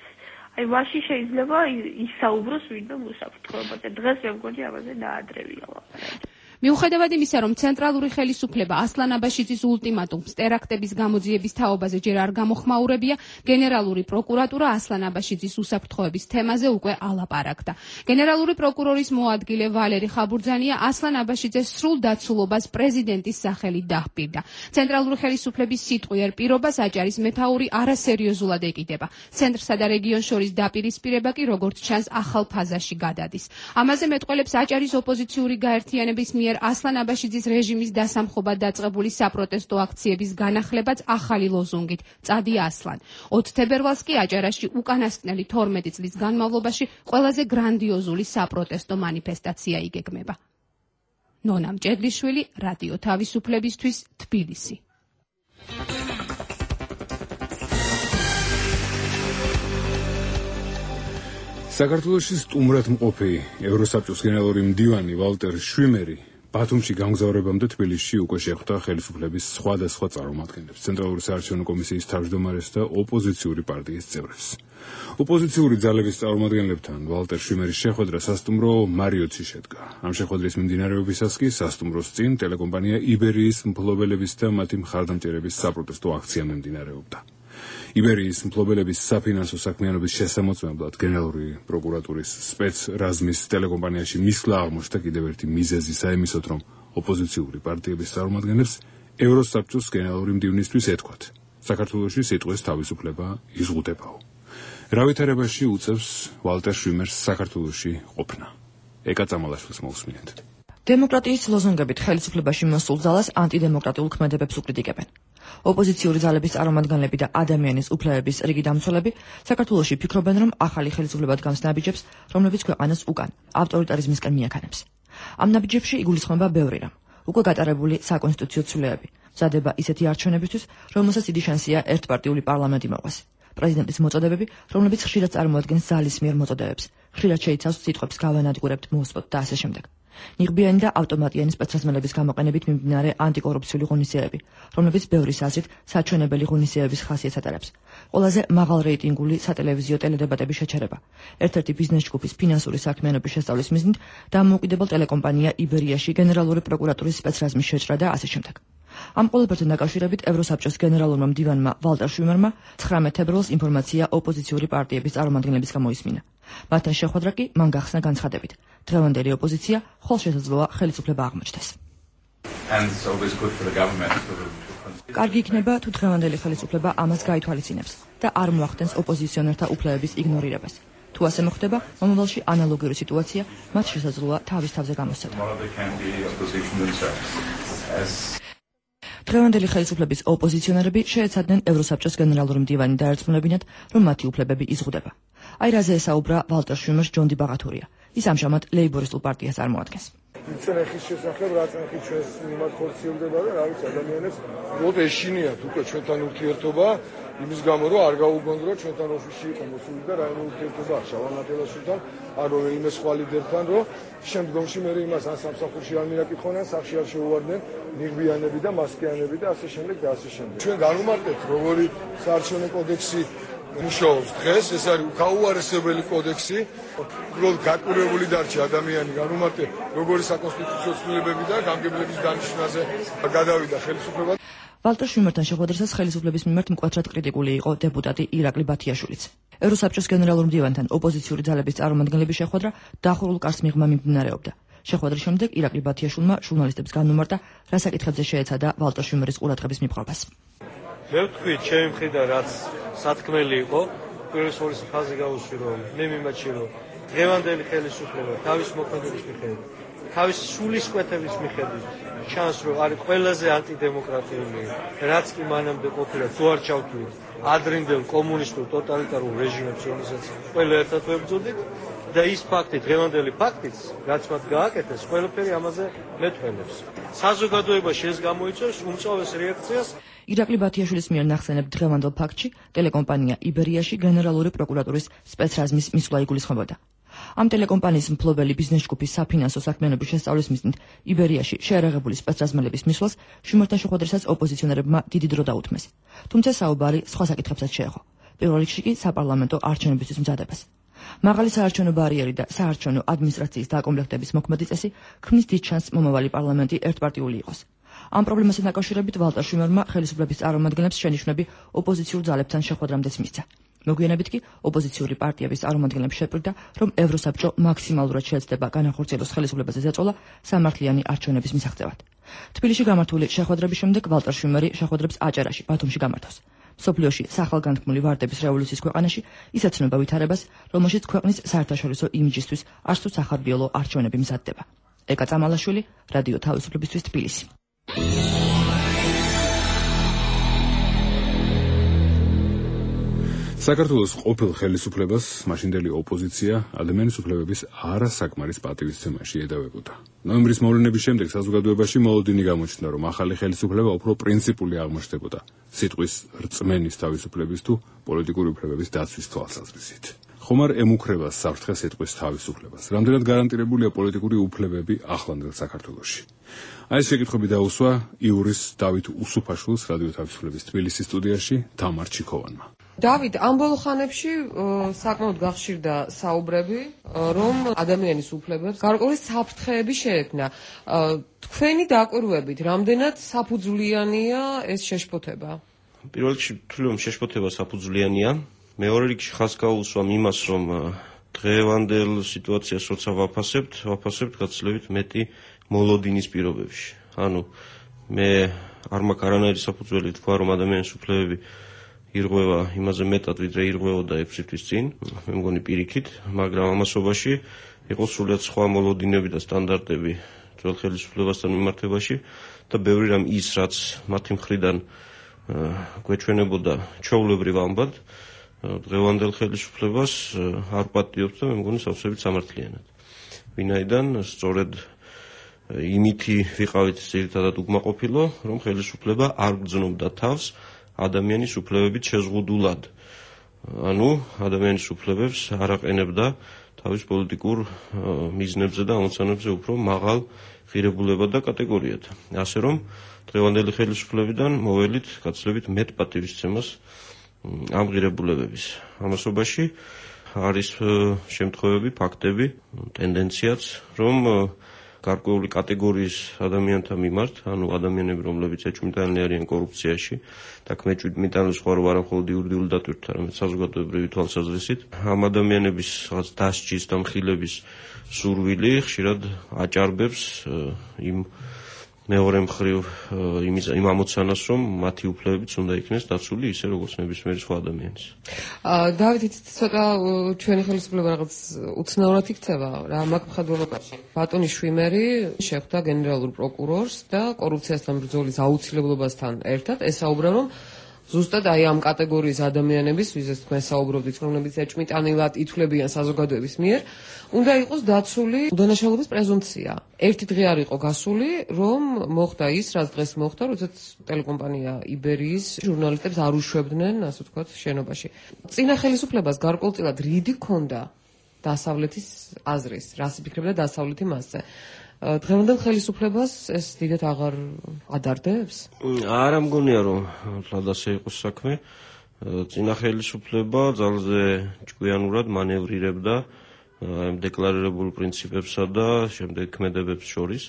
აი მაშინ შეიძლება ისაუბროს ვინმე უსაფრთხოებაზე. დღეს მე მგონი ამაზე დაადრევია ლაპარაკი. მიუხედავად იმისა, რომ ცენტრალური ხელისუფლება ასლან აბაშიძის ულტიმატუმს ტერაქტების გამოძიების თაობაზე ჯერ არ გამოხმაურებია, გენერალური პროკურატურა ასლან აბაშიძის უსაფრთხოების თემაზე უკვე ალაპარაკდა. გენერალური პროკურორის მოადგილე ვალერი ხაბურძანია ასლან აბაშიძეს სრულ დაცულობას პრეზიდენტის სახელით დაჰპირდა. ცენტრალური ხელისუფლების სიტყვიერ პირობას აჭარის მეთაური არასერიოზულად ეკიდება. ცენტრსა და რეგიონს შორის დაპირისპირება კი როგორც ჩანს ახალ ფაზაში გადადის. ამაზე მეტყველებს აჭარის ოპოზიციური გაერთიანების მიერ ასლან აბაშიძის რეჟიმის დასამხობად დაწყებული საპროტესტო აქციების განახლებაც ახალი ლოზუნგით წადი ასლან. ოთხ თებერვალს კი აჭარაში უკანასკნელი თორმეტი წლის განმავლობაში ყველაზე გრანდიოზული საპროტესტო მანიფესტაცია იგეგმება. ნონა მჭედლიშვილი, რადიო თავისუფლებისთვის, თბილისი. საქართველოში სტუმრად მყოფი ევროსაბჭოს გენერალური მდივანი ვალტერ შვიმერი ბათუმში გამგზავრებამდე თბილისში უკვე შეხვდა ხელისუფლების სხვადასხვა წარმომადგენლებს, ცენტრალური საარჩევნო კომისიის თავმჯდომარეს და ოპოზიციური პარტიის წევრებს. ოპოზიციური ძალების წარმომადგენლებთან ვალტერ შვიმერის შეხვედრა სასტუმრო მარიოტში შედგა. ამ შეხვედრის მიმდინარეობისას კი სასტუმროს წინ ტელეკომპანია იბერიის მფლობელების და მათი მხარდამჭერების საპროტესტო აქცია მიმდინარეობდა. იბერიის მფლობელების საფინანსო საქმიანობის შესამოწმებლად გენერალური პროკურატურის სპეცრაზმის ტელეკომპანიაში მისვლა აღმოჩნდა კიდევ ერთი მიზეზი საიმისოდ, რომ ოპოზიციური პარტიების წარმომადგენლებს ევროსაბჭოს გენერალური მდივნისთვის ეთქვათ, საქართველოში სიტყვის თავისუფლება იზღუდებაო. რა ვითარებაში უწევს ვალტერ შვიმერს საქართველოში ყოფნა? ეკა წამალაშვილს მოусმინეთ. დემოკრატიის ლოზუნგებით ხელისუფლებაში მოსულ ძალას ანტიდემოკრატიულ ქმედებებს უკრიტიკებენ. ოპოზიციური ძალების წარმომადგენლები და ადამიანის უფლებების რიგი დამცველები საქართველოში ფიქრობენ, რომ ახალი ხელისუფლება დგამს ნაბიჯებს, რომლებიც ქვეყანას უკან ავტორიტარიზმისკენ მიაქანებს. ამ ნაბიჯებში იგულისხმება ბევრი რამ. უკვე გატარებული საკონსტიტუციო ცვლილებები, მზადება ისეთი არჩევნებისთვის, რომელსაც დიდი შანსია ერთპარტიული პარლამენტი მოყვეს. პრეზიდენტის მოწოდებები, რომლებიც ხშირად წარმოადგენს ძალის მიერ მოწოდებებს, ხშირად შეიცავს სიტყვებს გავანადგურებთ, მოუსწროთ და ასე შემდეგ. ნიღბიანი და ავტომატიანი სპეცრაზმელების გამოყენებით მიმდინარე ანტიკორუფციული ღონისძიებები, რომლებიც ბევრის აზრით საჩვენებელი ღონისძიებების ხასიათს ატარებს. ყველაზე მაღალ რეიტინგული სატელევიზიო ტელედებატების შეჩერება. ერთ-ერთი ბიზნეს ჯგუფის ფინანსური საქმიანობის შესწავლის მიზნით დამოუკიდებელ ტელეკომპანია იბერიაში გენერალური პროკურატურის სპეცრაზმის შეჭრა და ასე შემდეგ. ამ ყველაფერთან დაკავშირებით ევროსაბჭოს გენერალურმა მდივანმა ვალტერ შვიმერმა ცხრამეტ თებერვალს ინფორმაცია ოპოზიციური პარტიების წარმომადგენლების გამოისმინა. მათთან შეხვედრა კი მან გახსნა განცხადებით. დღევანდელი ოპოზიცია ხოლშესაძლოა ხელისუფლება აღმოჩნდეს. კარგი იქნება თუ დღევანდელი ხელისუფლება ამას გაითვალისწინებს და არ მოახდენს ოპოზიციონერთა უფლებების იგნორირებას. თუ ასე მოხდება, მომავალში ანალოგიური სიტუაცია მათ შესაძლოა თავის თავზე გამოსცადონ. დღევანდელი ხელისუფლების ოპოზიციონერები შეეცადნენ ევროსაბჭოს გენერალური მდივანი დაერწმუნებინათ, რომ მათი უფლებები იზღუდება. აი რაზე ესაუბრა ვალტერ შვიმერს ჯონ დი ბაღათურია. ის ამჟამად ლეიბორისტულ პარტიას წარმოადგენს. წნეხის შესახებ რა წნეხი ჩვენს მიმართ ხორციელდება და რა ვიცი ადამიანებს უბრალოდ ეშინიათ უკვე ჩვენთან ურთიერთობა იმის გამო რომ არ გაუგონდრო ჩვენთან ოფისში იყო მოსული და რაიმე ურთიერთობა შავანატელაშვილთან ან რომელიმე სხვა ლიდერთან რომ შემდგომში მე იმას ან სამსახურში არ მიაკითხონან, სახში არ შეუვარდნენ ნიღბიანები და მასკიანები და ასე შემდეგ და ასე შემდეგ. ჩვენ განვმარტებთ როგორი საარჩევნო კოდექსი მუშაობს დღეს, ეს არის გაუარესებელი კოდექსი, უბრალოდ გაკვირვებული დარჩა ადამიანი განვმარტებ როგორი საკონსტიტუციო ცვლილებები და გამგებლების დანიშვნაზე გადავიდა ხელისუფლება. ვალტერ შუმერთან შეხვედრისას ხელისუფლების მიმართ მკვეთრად კრიტიკული იყო დეპუტატი ირაკლი ბათიაშვილიც. ევროსაბჭოს გენერალურ მდივანთან ოპოზიციური ძალების წარმომადგენლების შეხვედრა დახურულ კარს მიღმა მიმდინარეობდა. შეხვედრის შემდეგ ირაკლი ბათიაშვილმა ჟურნალისტებს განუმარტა, რა საკითხებზე შეეცადა ვალტერ შუმერის ყურადღების მიპყრობას. მე ვთქვი, ჩემი მხრიდან რაც სათქმელი იყო, პირველი ორი ხაზი გავუსვი, რომ მე მიმაჩი რომ დღევანდელი ხელისუფლება თავის მოქმედების მიხედვით, თავის სულისკვეთების მიხედვით ჩანს, რომ არის ყველაზე ანტიდემოკრატიული, რაც კი მანამდე ყოფილა, თუ არ ჩავთვლით ადრინდელ კომუნისტურ ტოტალიტარულ რეჟიმებს, რომელსაც ყველა ერთად ვებრძოდით და ის ფაქტი, დღევანდელი ფაქტიც, რაც მათ გააკეთეს, ყველაფერი ამაზე მეტყველებს. საზოგადოებაში ეს გამოიწვევს უმწოვეს რეაქციას. ირაკლი ბათიაშვილის მიერ ნახსენებ დღევანდელ ფაქტში ტელეკომპანია იბერიაში გენერალური პროკურატურის სპეცრაზმის მისვლა იგულისხმებოდა. ამ ტელეკომპანიის მფლობელი ბიზნეს ჯგუფის საფინანსო საქმიანობის შესწავლის მიზნით იბერიაში შეერაღებული სპეცრაზმელების მისვლას შუმერთან შეხვედრისას ოპოზიციონერებმა დიდი დრო დაუთმეს. თუმცა საუბარი სხვა საკითხებსაც შეეხო. პირველ რიგში კი საპარლამენტო არჩევნებისთვის მზადებას. მაღალი საარჩევნო ბარიერი და საარჩევნო ადმინისტრაციის დაკომპლექტების მოქმედი წესი ქმნის დიდ შანსს მომავალი პარლამენტი ერთპარტიული იყოს. ამ პრობლემასთან დაკავშირებით ვალტერ შუმერმა ხელისუფლების წარმომადგენლებს შენიშვნები ოპოზიციურ ძალებთან შეხვედრამდეც მისცა. მოგვიანებით კი ოპოზიციური პარტიების წარმომადგენლებს შეპირდა, რომ ევროსაბჭო მაქსიმალურად შეეცდება განახორციელოს ხელისუფლებაზე ზეწოლა სამართლიანი არჩევნების მისაღწევად. თბილისში გამართული შეხვედრების შემდეგ ვალტერ შუმერი შეხვედრებს აჭარაში, ბათუმში გამართავს. სოფლიოში სახელგანთქმული ვარდების რევოლუციის ქვეყანაში ისეთ ცნობა ვითარებას, რომელშიც ქვეყნის საერთაშორისო იმიჯისთვის არც თუ სახარბიელო არჩევნები მზადდება. ეკა წამალაშვილი, რადიო თავისუფლებისთვის თბილისი. საქართველოს ყოფილ ხელისუფლებას მაშინდელი ოპოზიცია ადამიანის უფლებების არასაკმარის პატივისცემაში ედავებოდა. ნოემბრის მოვლენების შემდეგ საზოგადოებაში მოლოდინი გამოჩნდა, რომ ახალი ხელისუფლება უფრო პრინციპული აღმოჩნდებოდა სიტყვის რწმენის თავისუფლების თუ პოლიტიკური უფლებების დაცვის თვალსაზრისით. ხომ არ ემუქრება საფრთხე სიტყვის თავისუფლებას? რამდენად გარანტირებულია პოლიტიკური უფლებები ახლანდელ საქართველოში? აი ეს შეკითხვები დაუსვა იურის დავით უსუფაშვილს რადიო თავისუფლების თბილისის სტუდიაში თამარ ჩიქოვანმა. დავით, ამ ბოლო ხანებში საკმაოდ გახშირდა საუბრები, რომ ადამიანის უფლებებს გარკვეული საფრთხეები შეექმნა. თქვენი დაკვირვებით, რამდენად საფუძვლიანია ეს შეშფოთება? პირველ რიგში ვთვლი, რომ შეშფოთება საფუძვლიანია. მეორე რიგში ხაზ გაუსვამ იმას, რომ დღევანდელ სიტუაციას როცა ვაფასებთ, ვაფასებთ გაცილებით მეტი მოლოდინის პირობებში. ანუ მე არ მაქვს არანაირი საფუძველი თქვა, რომ ადამიანის უფლებები ირღვევა იმაზე მეტად, ვიდრე ირღვეოდა ექვსი თვის წინ, მე მგონი პირიქით, მაგრამ ამასობაში იყო სრულიად სხვა მოლოდინები და სტანდარტები ძველ ხელისუფლებასთან მიმართებაში და ბევრი რამ ის, რაც მათი მხრიდან გვეჩვენებოდა ჩვეულებრივ ამბად, დღევანდელ ხელისუფლებას არ პატიობს და მე მგონი სავსებით სამართლიანად. ვინაიდან სწორედ იმითი ვიყავით ძირითადად უკმაყოფილო, რომ ხელისუფლება არ გრძნობდა თავს ადამიანის უფლებებით შეზღუდულად. ანუ ადამიანის უფლებებს არ აყენებდა თავის პოლიტიკურ მიზნებზე და ამოცანებზე უფრო მაღალ ღირებულებად და კატეგორიად. ასე რომ დღევანდელი ხელისუფლებიდან მოველით გაცილებით მეტ პატივისცემას ამ ღირებულებების. ამასობაში არის შემთხვევები, ფაქტები, ტენდენციაც, რომ გარკვეული კატეგორიის ადამიანთა მიმართ, ანუ ადამიანები, რომლებიც ეჭვმიტანილნი არიან კორუფციაში და ქმეჭვმიტანილ სხვა რო არა მხოლოდ იურიდიული დატვირთვით, არამედ საზოგადოებრივი თვალსაზრისით, ამ ადამიანების რაღაც დასჯის და მხილების სურვილი ხშირად აჭარბებს იმ მეორე მხრივ იმის იმ ამოცანას, რომ მათი უფლებებიც უნდა იქნეს დაცული ისე როგორც ნებისმიერი სხვა ადამიანის. დავით, ცოტა ჩვენი ხელისუფლება რაღაც უცნაურად იქცევა რა მაგ მხედველობაში. ბატონი შვიმერი შეხვდა გენერალურ პროკურორს და კორუფციასთან ბრძოლის აუცილებლობასთან ერთად ესაუბრა, რომ ზუსტად აი ამ კატეგორიის ადამიანების, ვიზეც თქვენ საუბრობდით, რომლებიც ეჭვმიტანილად ითვლებიან საზოგადოების მიერ, უნდა იყოს დაცული უდანაშაულობის პრეზუმპცია. ერთი დღე არ იყო გასული, რომ მოხდა ის, რაც დღეს მოხდა, როდესაც ტელეკომპანია იბერიის ჟურნალისტებს არ უშვებდნენ, ასე ვთქვათ, შენობაში. წინა ხელისუფლებას გარკვეულწილად რიდი ჰქონდა დასავლეთის აზრის, რას იფიქრებდა დასავლეთი მასზე. დღევანდელ ხელისუფლებას ეს დიდად აღარ ადარდებს? არა მგონია, რომ თლად ასე იყოს საქმე. წინა ხელისუფლება ძალზე ჭკვიანურად მანევრირებდა ამ დეკლარირებულ პრინციპებსა და შემდეგ ქმედებებს შორის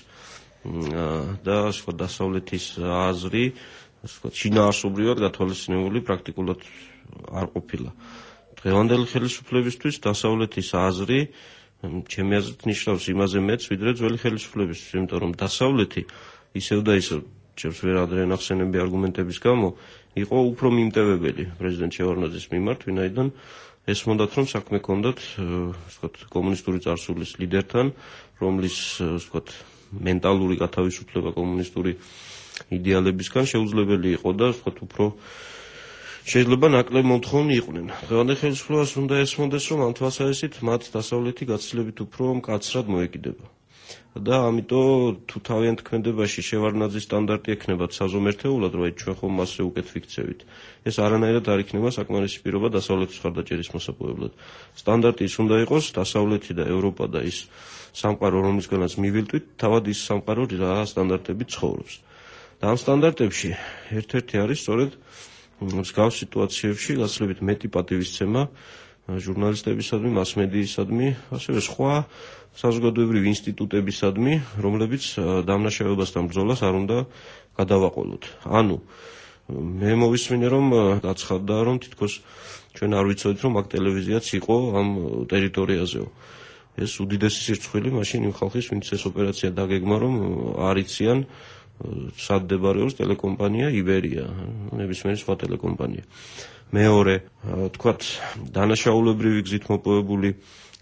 და სხვა დასავლეთის აზრი ასე ვთქვათ, შინაარსობრივად გათვალისწინებული პრაქტიკულად არ ყოფილა. დღევანდელი ხელისუფლებისთვის დასავლეთის აზრი ჩემი აზრით ნიშნავს იმაზე მეც, ვიდრე ძველი ხელისუფლებისთვის, იმიტომ რომ დასავლეთი ისევ და ისევ ჩემს ვერ ადრენახსენები არგუმენტების გამო იყო უფრო მიმტევებელი პრეზიდენტ შევარდნაძის მიმართ, ვინაიდან ესმოდათ რომ საქმე ჰქონდათ ვთქვათ კომუნისტური წარსულის ლიდერთან, რომლის ვთქვათ მენტალური გათავისუფლება კომუნისტური იდეალებისგან შეუძლებელი იყო და ვთქვათ უფრო შეიძლება ნაკლებ მომთხოვნი იყვნენ. დღევანდელ ხელისუფლებას უნდა ესმოდეს, რომ ამ თვალსაზრისით მათ დასავლეთი გაცილებით უფრო მკაცრად მოეკიდება. და ამიტომ თუ თავიანთ ქმედებაში შევარდნაძის სტანდარტი ექნებათ საზომერთეულად, რომ ჩვენ ხომ მასზე უკეთ ვიქცევით, ეს არანაირად არ იქნება საკმარისი პირობა დასავლეთის მხარდაჭერის მოსაპოვებლად. სტანდარტი ის უნდა იყოს დასავლეთი და ევროპა და ის სამყარო, რომლისგანაც მივილტვით, თავად ის სამყარო რა სტანდარტებით ცხოვრობს. და ამ სტანდარტებში ერთ-ერთი არის სწორედ მსგავს სიტუაციებში გაცილებით მეტი პატივისცემა ჟურნალისტებისადმი, მასმედიისადმი, ასევე სხვა საზოგადოებრივი ინსტიტუტებისადმი, რომლებიც დამნაშავებასთან ბრძოლას არ უნდა გადავაყოლოთ. ანუ მე მოვისმინე, რომ გაცხადდა, რომ თითქოს ჩვენ არ ვიცოდით, რომ აქ ტელევიზიაც იყო ამ ტერიტორიაზეო. ეს უდიდესი სირცხვილი მაშინ იმ ხალხის, ვინც ეს ოპერაცია დაგეგმა, რომ არ იციან სად მდებარეობს ტელეკომპანია იბერია, ნებისმიერი სხვა ტელეკომპანია. მეორე, თქვათ, დანაშაულებრივი გზით მოპოვებული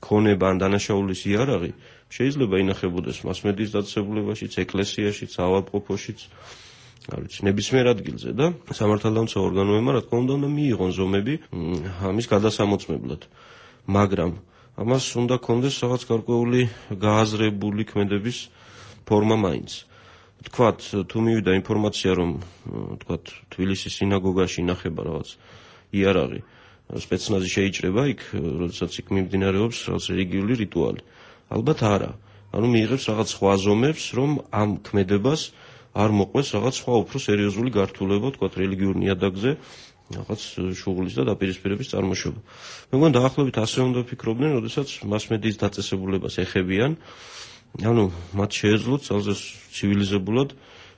ქონება ან დანაშაულის იარაღი შეიძლება ინახებოდეს მასმედიის დაწესებულებაშიც, ეკლესიაშიც, ავადმყოფოშიც, არ ვიცი, ნებისმიერ ადგილზე და სამართალდამცავ ორგანოებმა რა თქმა უნდა უნდა მიიღონ ზომები ამის გადასამოწმებლად. მაგრამ ამას უნდა კონდეს რაღაც გარკვეული გააზრებული ქმედების ფორმა მაინც. თქვათ, თუ მივიდა ინფორმაცია, რომ თქვათ, თბილისის სინაგოგაში ინახება რაღაც იარაღი, სპეცნაზი შეიჭრება იქ, როდესაც იქ მიმდინარეობს რაღაც რელიგიური რიტუალი. ალბათ არა. ანუ მიიღებს რაღაც სხვა ზომებს, რომ ამ ქმედებას არ მოყვეს რაღაც სხვა უფრო სერიოზული გართულება, თქვათ, რელიგიურ ნიადაგზე, რაღაც შუღლის და დაპირისპირების წარმოშობა. მე მგონი დაახლოებით ასე უნდა ფიქრობდნენ, როდესაც მასმედიის დაწესებულებას ეხებიან. ანუ მათ შეეძლოთ ძალზე ცივილიზებულად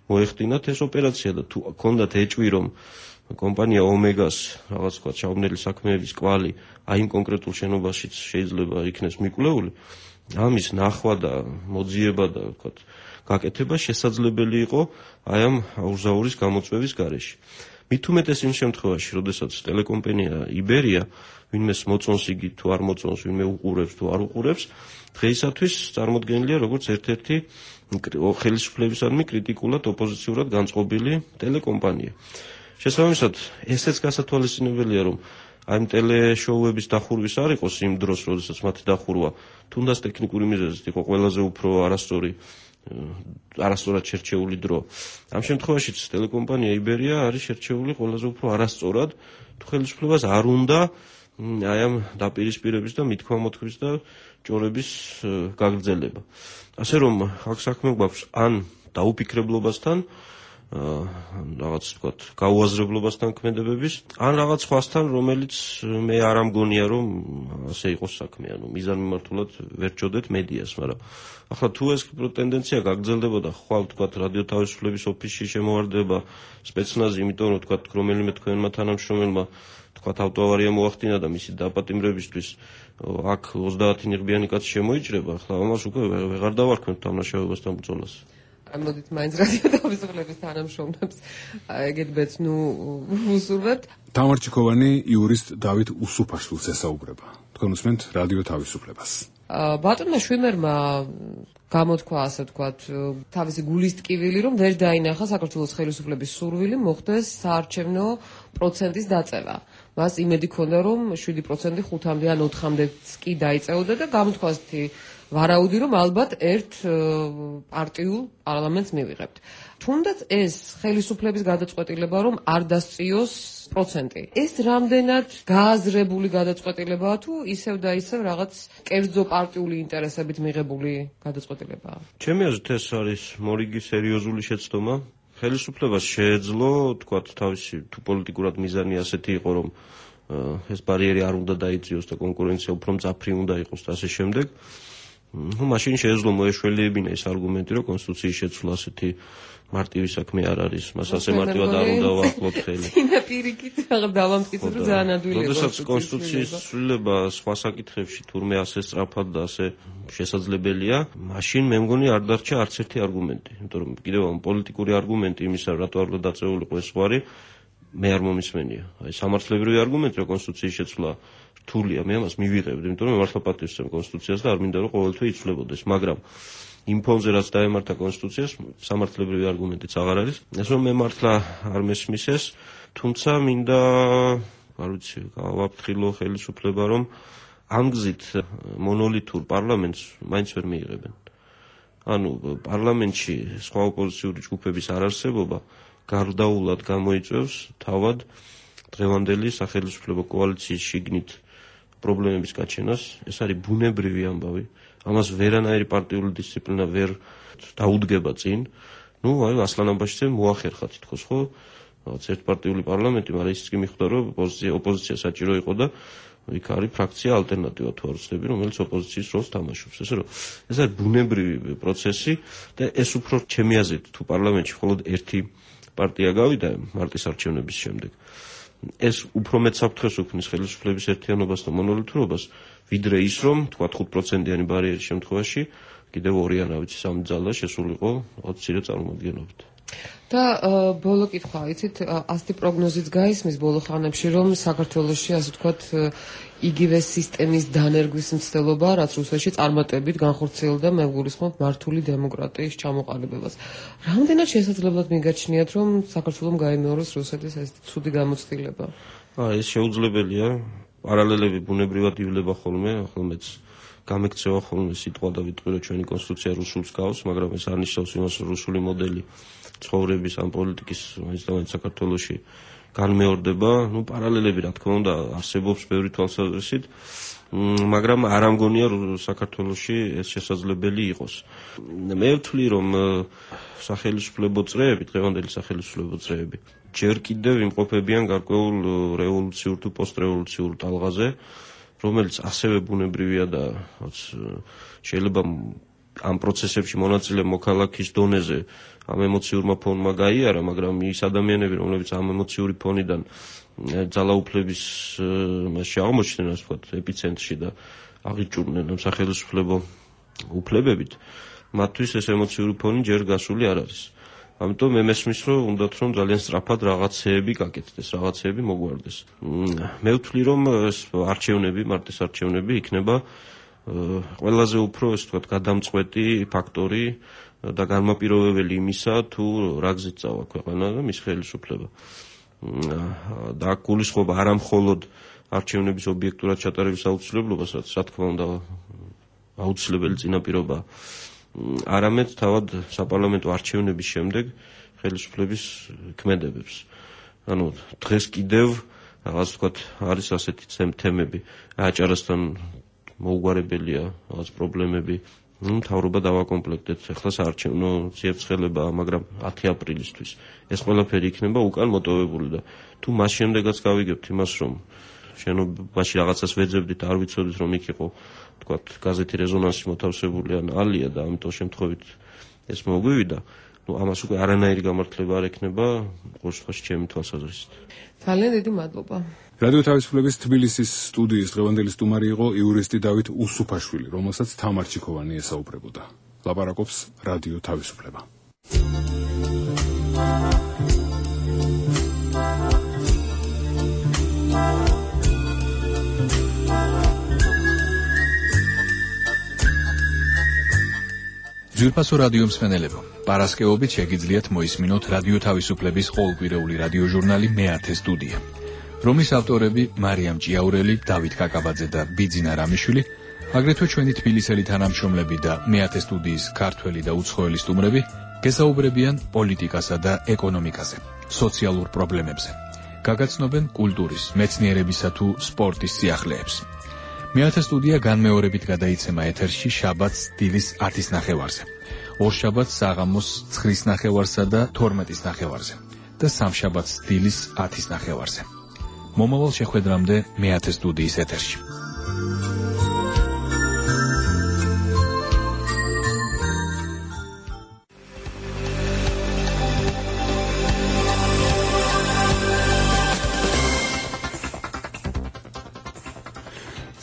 მოეხდინათ ეს ოპერაცია და თუ ჰქონდათ ეჭვი, რომ კომპანია ომეგას რაღაც თქვა ჩაუბნელი საქმეების კვალი აი იმ კონკრეტულ შენობაშიც შეიძლება იქნეს მიკვლეული, ამის ნახვა და მოძიება და თქვა გაკეთება შესაძლებელი იყო აი ამ აუზაურის გამოწვევის გარეშე. მით უმეტეს იმ შემთხვევაში, როდესაც ტელეკომპანია იბერია ვინმეს მოწონს იგი თუ არ მოწონს, ვინმე უყურებს თუ არ უყურებს, დღეისათვის წარმოდგენილია როგორც ერთ-ერთი ხელისუფლებისადმი კრიტიკულად ოპოზიციურად განწყობილი ტელეკომპანია. შესაბამისად, ესეც გასათვალისწინებელია, რომ აი ამ ტელეშოუების დახურვის არ იყოს იმ დროს, როდესაც მათი დახურვა თუნდაც ტექნიკური მიზეზით იყო ყველაზე უფრო არასწორი, არასწორად შერჩეული დრო. ამ შემთხვევაშიც ტელეკომპანია იბერია არის შერჩეული ყველაზე უფრო არასწორად, თუ ხელისუფლებას არ უნდა აი ამ დაპირისპირების და მithქმა-მოთქმის და ჭორების გაგრძელება. ასე რომ აქ საქმე გვაქვს ან დაუფიქრებლობასთან, რაღაც ვთქვათ, გაუაზრებლობასთან ქმედებების, ან რაღაც სხვასთან, რომელიც მე არ ამგონია, რომ ასე იყოს საქმე, ანუ მიზანმიმართულად ვერ ჭოდეთ მედიას, მაგრამ ახლა თუ ეს ტენდენცია გაგრძელდებოდა, ხვალ ვთქვათ, რადიო თავისუფლების ოფისში შემოვარდება სპეცნაზი, იმიტომ რომ ვთქვათ, რომელიმე თქვენმა თანამშრომელმა თქვათ ავტოავარია მოახდინა და მისი დაპატიმრებისთვის აქ ოცდაათი ნიღბიანი კაცი შემოიჭრება, ახლა ამას უკვე ვეღარ დავარქმევთ დამნაშავებასთან ბრძოლას. ამოდით მაინც რადიო თავისუფლების თანამშრომლებს ეგეთბეც ნუ უსურვებთ. თამარ ჩიქოვანი იურისტ დავით უსუფაშვილს ესაუბრება. თქვენ უსმენთ რადიო თავისუფლებას. ბატონმა შვიმერმა გამოთქვა, ასე ვთქვათ, თავისი გულის ტკივილი, რომ ვერ დაინახა საქართველოს ხელისუფლების სურვილი მოხდეს საარჩევნო პროცენტის დაწევა. მას იმედი ჰქონდა, რომ შვიდი პროცენტი ხუთამდე ან ოთხამდეც კი დაიწეოდა და გამოთქვა ასეთი ვარაუდი, რომ ალბათ ერთ პარტიულ პარლამენტს მივიღებთ. თუნდაც ეს ხელისუფლების გადაწყვეტილება, რომ არ დასწიოს პროცენტი. ეს რამდენად გააზრებული გადაწყვეტილებაა თუ ისევ და ისევ რაღაც კერძო პარტიული ინტერესებით მიღებული გადაწყვეტილებაა? ჩემი აზრით ეს არის მორიგი სერიოზული შეცდომა. ხელისუფლებას შეეძლო, თქვათ, თავისი თუ პოლიტიკურად მიზანი ასეთი იყო, რომ ეს ბარიერი არ უნდა დაიწიოს და კონკურენცია უფრო მძაფრი უნდა იყოს და ასე შემდეგ. ნუ მაშინ შეეძლო მოეშველიებინა ეს არგუმენტი, რომ კონსტიტუციის შეცვლა ასეთი მარტივი საქმე არ არის, მას ასე მარტივად არ უნდა ვახლოთ ხელი. ინა პირიქით რაღაც დავამტკიცოთ, რომ ძალიან ადვილია. როდესაც კონსტიტუციის ცვლილება სხვა საკითხებში თურმე ასე სწრაფად და ასე შესაძლებელია, მაშინ მე მგონი არ დარჩა არც ერთი არგუმენტი, იმიტომ რომ კიდევ ამ პოლიტიკური არგუმენტი იმისა, რატო არ უნდა დაწეულიყო ეს ზღვარი, მე არ მომისმენია. აი სამართლებრივი არგუმენტი, რომ კონსტიტუციის შეცვლა რთულია, მე ამას მივიღებდი, იმიტომ რომ მე მართლა პატივს ვცემ კონსტიტუციას და არ მინდა რომ ყოველთვე იცვლებოდეს, მაგრამ იმ ფონზე რაც დაემართა კონსტიტუციას, სამართლებრივი არგუმენტიც აღარ არის. ეს რომ მე მართლა არ მესმის ეს, თუმცა მინდა, არ ვიცი, გავაფრთხილო ხელისუფლება, რომ ამ გზით მონოლითურ პარლამენტს მაინც ვერ მიიღებენ. ანუ პარლამენტში სხვა ოპოზიციური ჯგუფების არარსებობა გარდაულად გამოიწვევს თავად დღევანდელი სახელმწიფო კოალიციის შიგნით პრობლემების გაჩენას. ეს არის ბუნებრივი ამბავი. ამას ვერანაირი პარტიული დისციპლინა ვერ დაუდგება წინ. ნუ აი ასლან აბაშიძემ მოახერხა თითქოს ხო რაღაც ერთპარტიული პარლამენტი, მაგრამ ისიც კი მიხვდა რომ ოპოზიცია საჭირო იყო და იქ არის ფრაქცია ალტერნატივა თუ არ ვცდები, რომელიც ოპოზიციის როლს თამაშობს. ესე რომ ეს არის ბუნებრივი პროცესი და ეს უფრო ჩემი აზრით თუ პარლამენტში მხოლოდ ერთი პარტია გავიდა მარტის არჩევნების შემდეგ, ეს უფრო მეც საფრთხეს უქმნის ხელისუფლების ერთიანობას და მონოლითურობას, ვიდრე ის რომ თქვა ხუთ პროცენტიანი ბარიერის შემთხვევაში კიდევ ორი ან რა ვიცი სამი ძალა შესულიყო რაღაც მცირე წარმომადგენლობით. და ბოლო კითხვა, იცით, ასეთი პროგნოზიც გაისმის ბოლო ხანებში, რომ საქართველოში, ასე ვთქვათ, იგივე სისტემის დანერგვის მცდელობა, რაც რუსეთში წარმატებით განხორციელდა, მე გულისხმობ მართული დემოკრატიის ჩამოყალიბებას. რამდენად შესაძლებლად მიგაჩნიათ, რომ საქართველომ გაიმეოროს რუსეთის ეს ცუდი გამოცდილება? აა ეს შეუძლებელია. პარალელები ბუნებრივად ივლება ხოლმე, ახლა მეც გამექცევა ხოლმე სიტყვა და ვიტყვი რომ ჩვენი კონსტიტუცია რუსულს გავს, მაგრამ ეს არ ნიშნავს იმას, რომ რუსული მოდელი ცხოვრების ან პოლიტიკის მაინც და მაინც საქართველოში განმეორდება. ნუ პარალელები რა თქმა უნდა არსებობს ბევრი თვალსაზრისით, მაგრამ არ ამგონია რომ საქართველოში ეს შესაძლებელი იყოს. მე ვთვლი რომ სახელმწიფო წრეები, დღევანდელი სახელმწიფო წრეები ჯერ კიდევ იმყოფებიან გარკვეულ რევოლუციურ თუ პოსტრევოლუციურ ტალღაზე, რომელიც ასევე ბუნებრივია და შეიძლება ამ პროცესებში მონაწილე მოქალაქის დონეზე ამ ემოციურმა ფონმა გაიარა, მაგრამ ის ადამიანები, რომლებიც ამ ემოციური ფონიდან ძალაუფლების მასში აღმოჩნდნენ, ასე ვთქვათ, ეპიცენტრში და აღიჭურნენ ამ სახელმწიფო უფლებებით, მათთვის ეს ემოციური ფონი ჯერ გასული არ არის. ამიტომ მე მესმის რომ უნდათ რომ ძალიან სწრაფად რაღაცეები გაკეთდეს, რაღაცეები მოგვარდეს. მე ვთვლი რომ ეს არჩევნები, მარტის არჩევნები იქნება ყველაზე უფრო, ასე ვთქვათ, გადამწყვეტი ფაქტორი და განმაპირობებელი იმისა, თუ რა გზით წავა ქვეყანა და მის ხელისუფლება. და გულისხმობა არა მხოლოდ არჩევნების ობიექტურად ჩატარების აუცილებლობას, რაც რა თქმა უნდა აუცილებელი წინაპირობაა, არამედ თავად საპარლამენტო არჩევნების შემდეგ ხელისუფლების ქმედებებს. ანუ დღეს კიდევ რაღაც ვთქვათ არის ასეთი თემები, აჭარასთან მოუგვარებელია რაღაც პრობლემები, ნუ მთავრობა დავაკომპლექტეთ, ახლა საარჩევნო ციებცხელებაა, მაგრამ ათი აპრილისთვის ეს ყველაფერი იქნება უკან მოტოვებული და თუ მას შემდეგაც გავიგებთ იმას, რომ შენობაში რაღაცას ვეძებდით, არ ვიცოდით რომ იქ იყო თქვათ გაზეთი რეზონანსი მოთავსებული ან ალია და ამიტომ შემთხვევით ეს მოგვივიდა, ნუ ამას უკვე არანაირი გამართლება არ ექნება ყოველ შემთხვევაში ჩემი თვალსაზრისით. ძალიან დიდი მადლობა. რადიო თავისუფლების თბილისის სტუდიის დღევანდელი სტუმარი იყო იურისტი დავით უსუფაშვილი, რომელსაც თამარ ჩიქოვანი ესაუბრებოდა. ლაპარაკობს რადიო თავისუფლება. ძვირფასო რადიო მსმენელებო, პარასკევობით შეგიძლიათ მოისმინოთ რადიო თავისუფლების ყოველკვირეული რადიოჟურნალი მეათე სტუდია, რომლის ავტორები მარიამ ჭიაურელი, დავით კაკაბაძე და ბიძინა რამიშვილი, აგრეთვე ჩვენი თბილისელი თანამშრომლები და მეათე სტუდიის ქართველი და უცხოელი სტუმრები გესაუბრებიან პოლიტიკასა და ეკონომიკაზე, სოციალურ პრობლემებზე. გაგაცნობენ კულტურის, მეცნიერებისა თუ სპორტის სიახლეებს. მეათე სტუდია განმეორებით გადაიცემა ეთერში შაბათს დილის ათის ნახევარზე, ორშაბათს საღამოს ცხრის ნახევარსა და თორმეტის ნახევარზე და სამშაბათს დილის ათის ნახევარზე. მომავალ შეხვედრამდე მეათე სტუდიის ეთერში.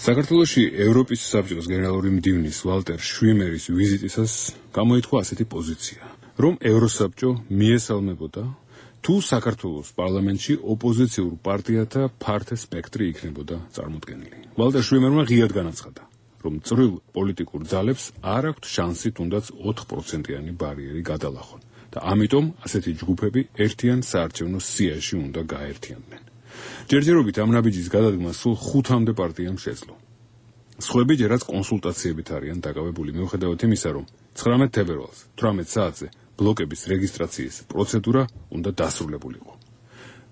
საქართველოში ევროპის საბჭოს გენერალური მდივნის ვალტერ შვიმერის ვიზიტისას გამოითქვა ასეთი პოზიცია, რომ ევროსაბჭო მიესალმებოდა თუ საქართველოს პარლამენტში ოპოზიციურ პარტიათა ფართე სპექტრი იქნებოდა წარმოდგენილი. ვალტერ შვიმერმა ღიად განაცხადა, რომ წვრილ პოლიტიკურ ძალებს არ აქვთ შანსი თუნდაც ოთხ პროცენტიანი ბარიერი გადალახონ და ამიტომ ასეთი ჯგუფები ერთიან საარჩევნო სიაში უნდა გაერთიანდნენ. ჯერჯერობით ამ ნაბიჯის გადადგმა სულ ხუთამდე პარტიამ შეძლო. სხვები ჯერაც კონსულტაციებით არიან დაკავებული, მიუხედავად იმისა, რომ ცხრამეტ თებერვალს თვრამეტ საათზე ბლოკების რეგისტრაციის პროცედურა უნდა დასრულებულიყო.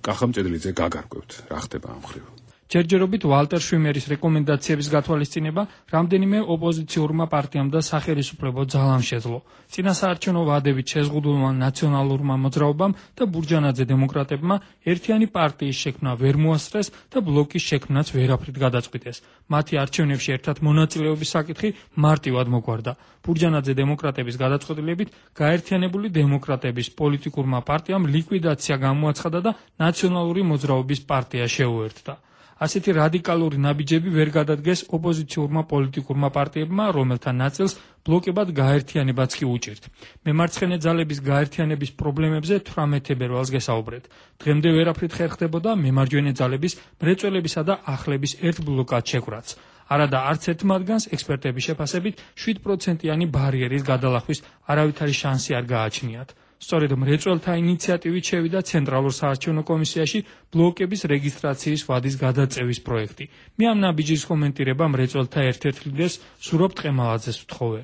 კახა მჭედლიძე გაგარკვევთ, რა ხდება ამ მხრივ. ჯერჯერობით ვალტერ შვიმერის რეკომენდაციების გათვალისწინება რამდენიმე ოპოზიციურმა პარტიამ და სახელმწიფო ძალამ შეძლო. წინასაარჩევნო ვადებით შეზღუდულმა ნაციონალურმა მოძრაობამ და ბურჯანაძე დემოკრატებმა ერთიანი პარტიის შექმნა ვერ მოასწრეს და ბლოკის შექმნაც ვერაფრით გადაწყვიტეს. მათი არჩევნებში ერთად მონაწილეობის საკითხი მარტივად მოგვარდა. ბურჯანაძე დემოკრატების გადაწყვეტილებით გაერთიანებული დემოკრატების პოლიტიკურმა პარტიამ ლიკვიდაცია გამოაცხადა და ნაციონალური მოძრაობის პარტია შეუერთდა. ასეთი რადიკალური ნაბიჯები ვერ გადადგეს ოპოზიციურმა პოლიტიკურმა პარტიებმა, რომელთა ნაწილს ბლოკებად გაერთიანებაც კი უჭირთ. მემარცხენე ძალების გაერთიანების პრობლემებზე თვრამეტ თებერვალს გესაუბრეთ. დღემდე ვერაფრით ხერხდებოდა მემარჯვენე ძალების, მრეწველებისა და ახლების ერთ ბლოკად შეკვრაც. არადა არც ერთ მათგანს ექსპერტების შეფასებით შვიდ პროცენტიანი ბარიერის გადალახვის არავითარი შანსი არ გააჩნიათ. სწორედ მრეწველთა ინიციატივით შევიდა ცენტრალურ საარჩევნო კომისიაში ბლოკების რეგისტრაციის ვადის გადაწევის პროექტი. მე ამ ნაბიჯის კომენტირება მრეწველთა ერთ-ერთ ლიდერს სურობ ტყემალაძეს ვთხოვე.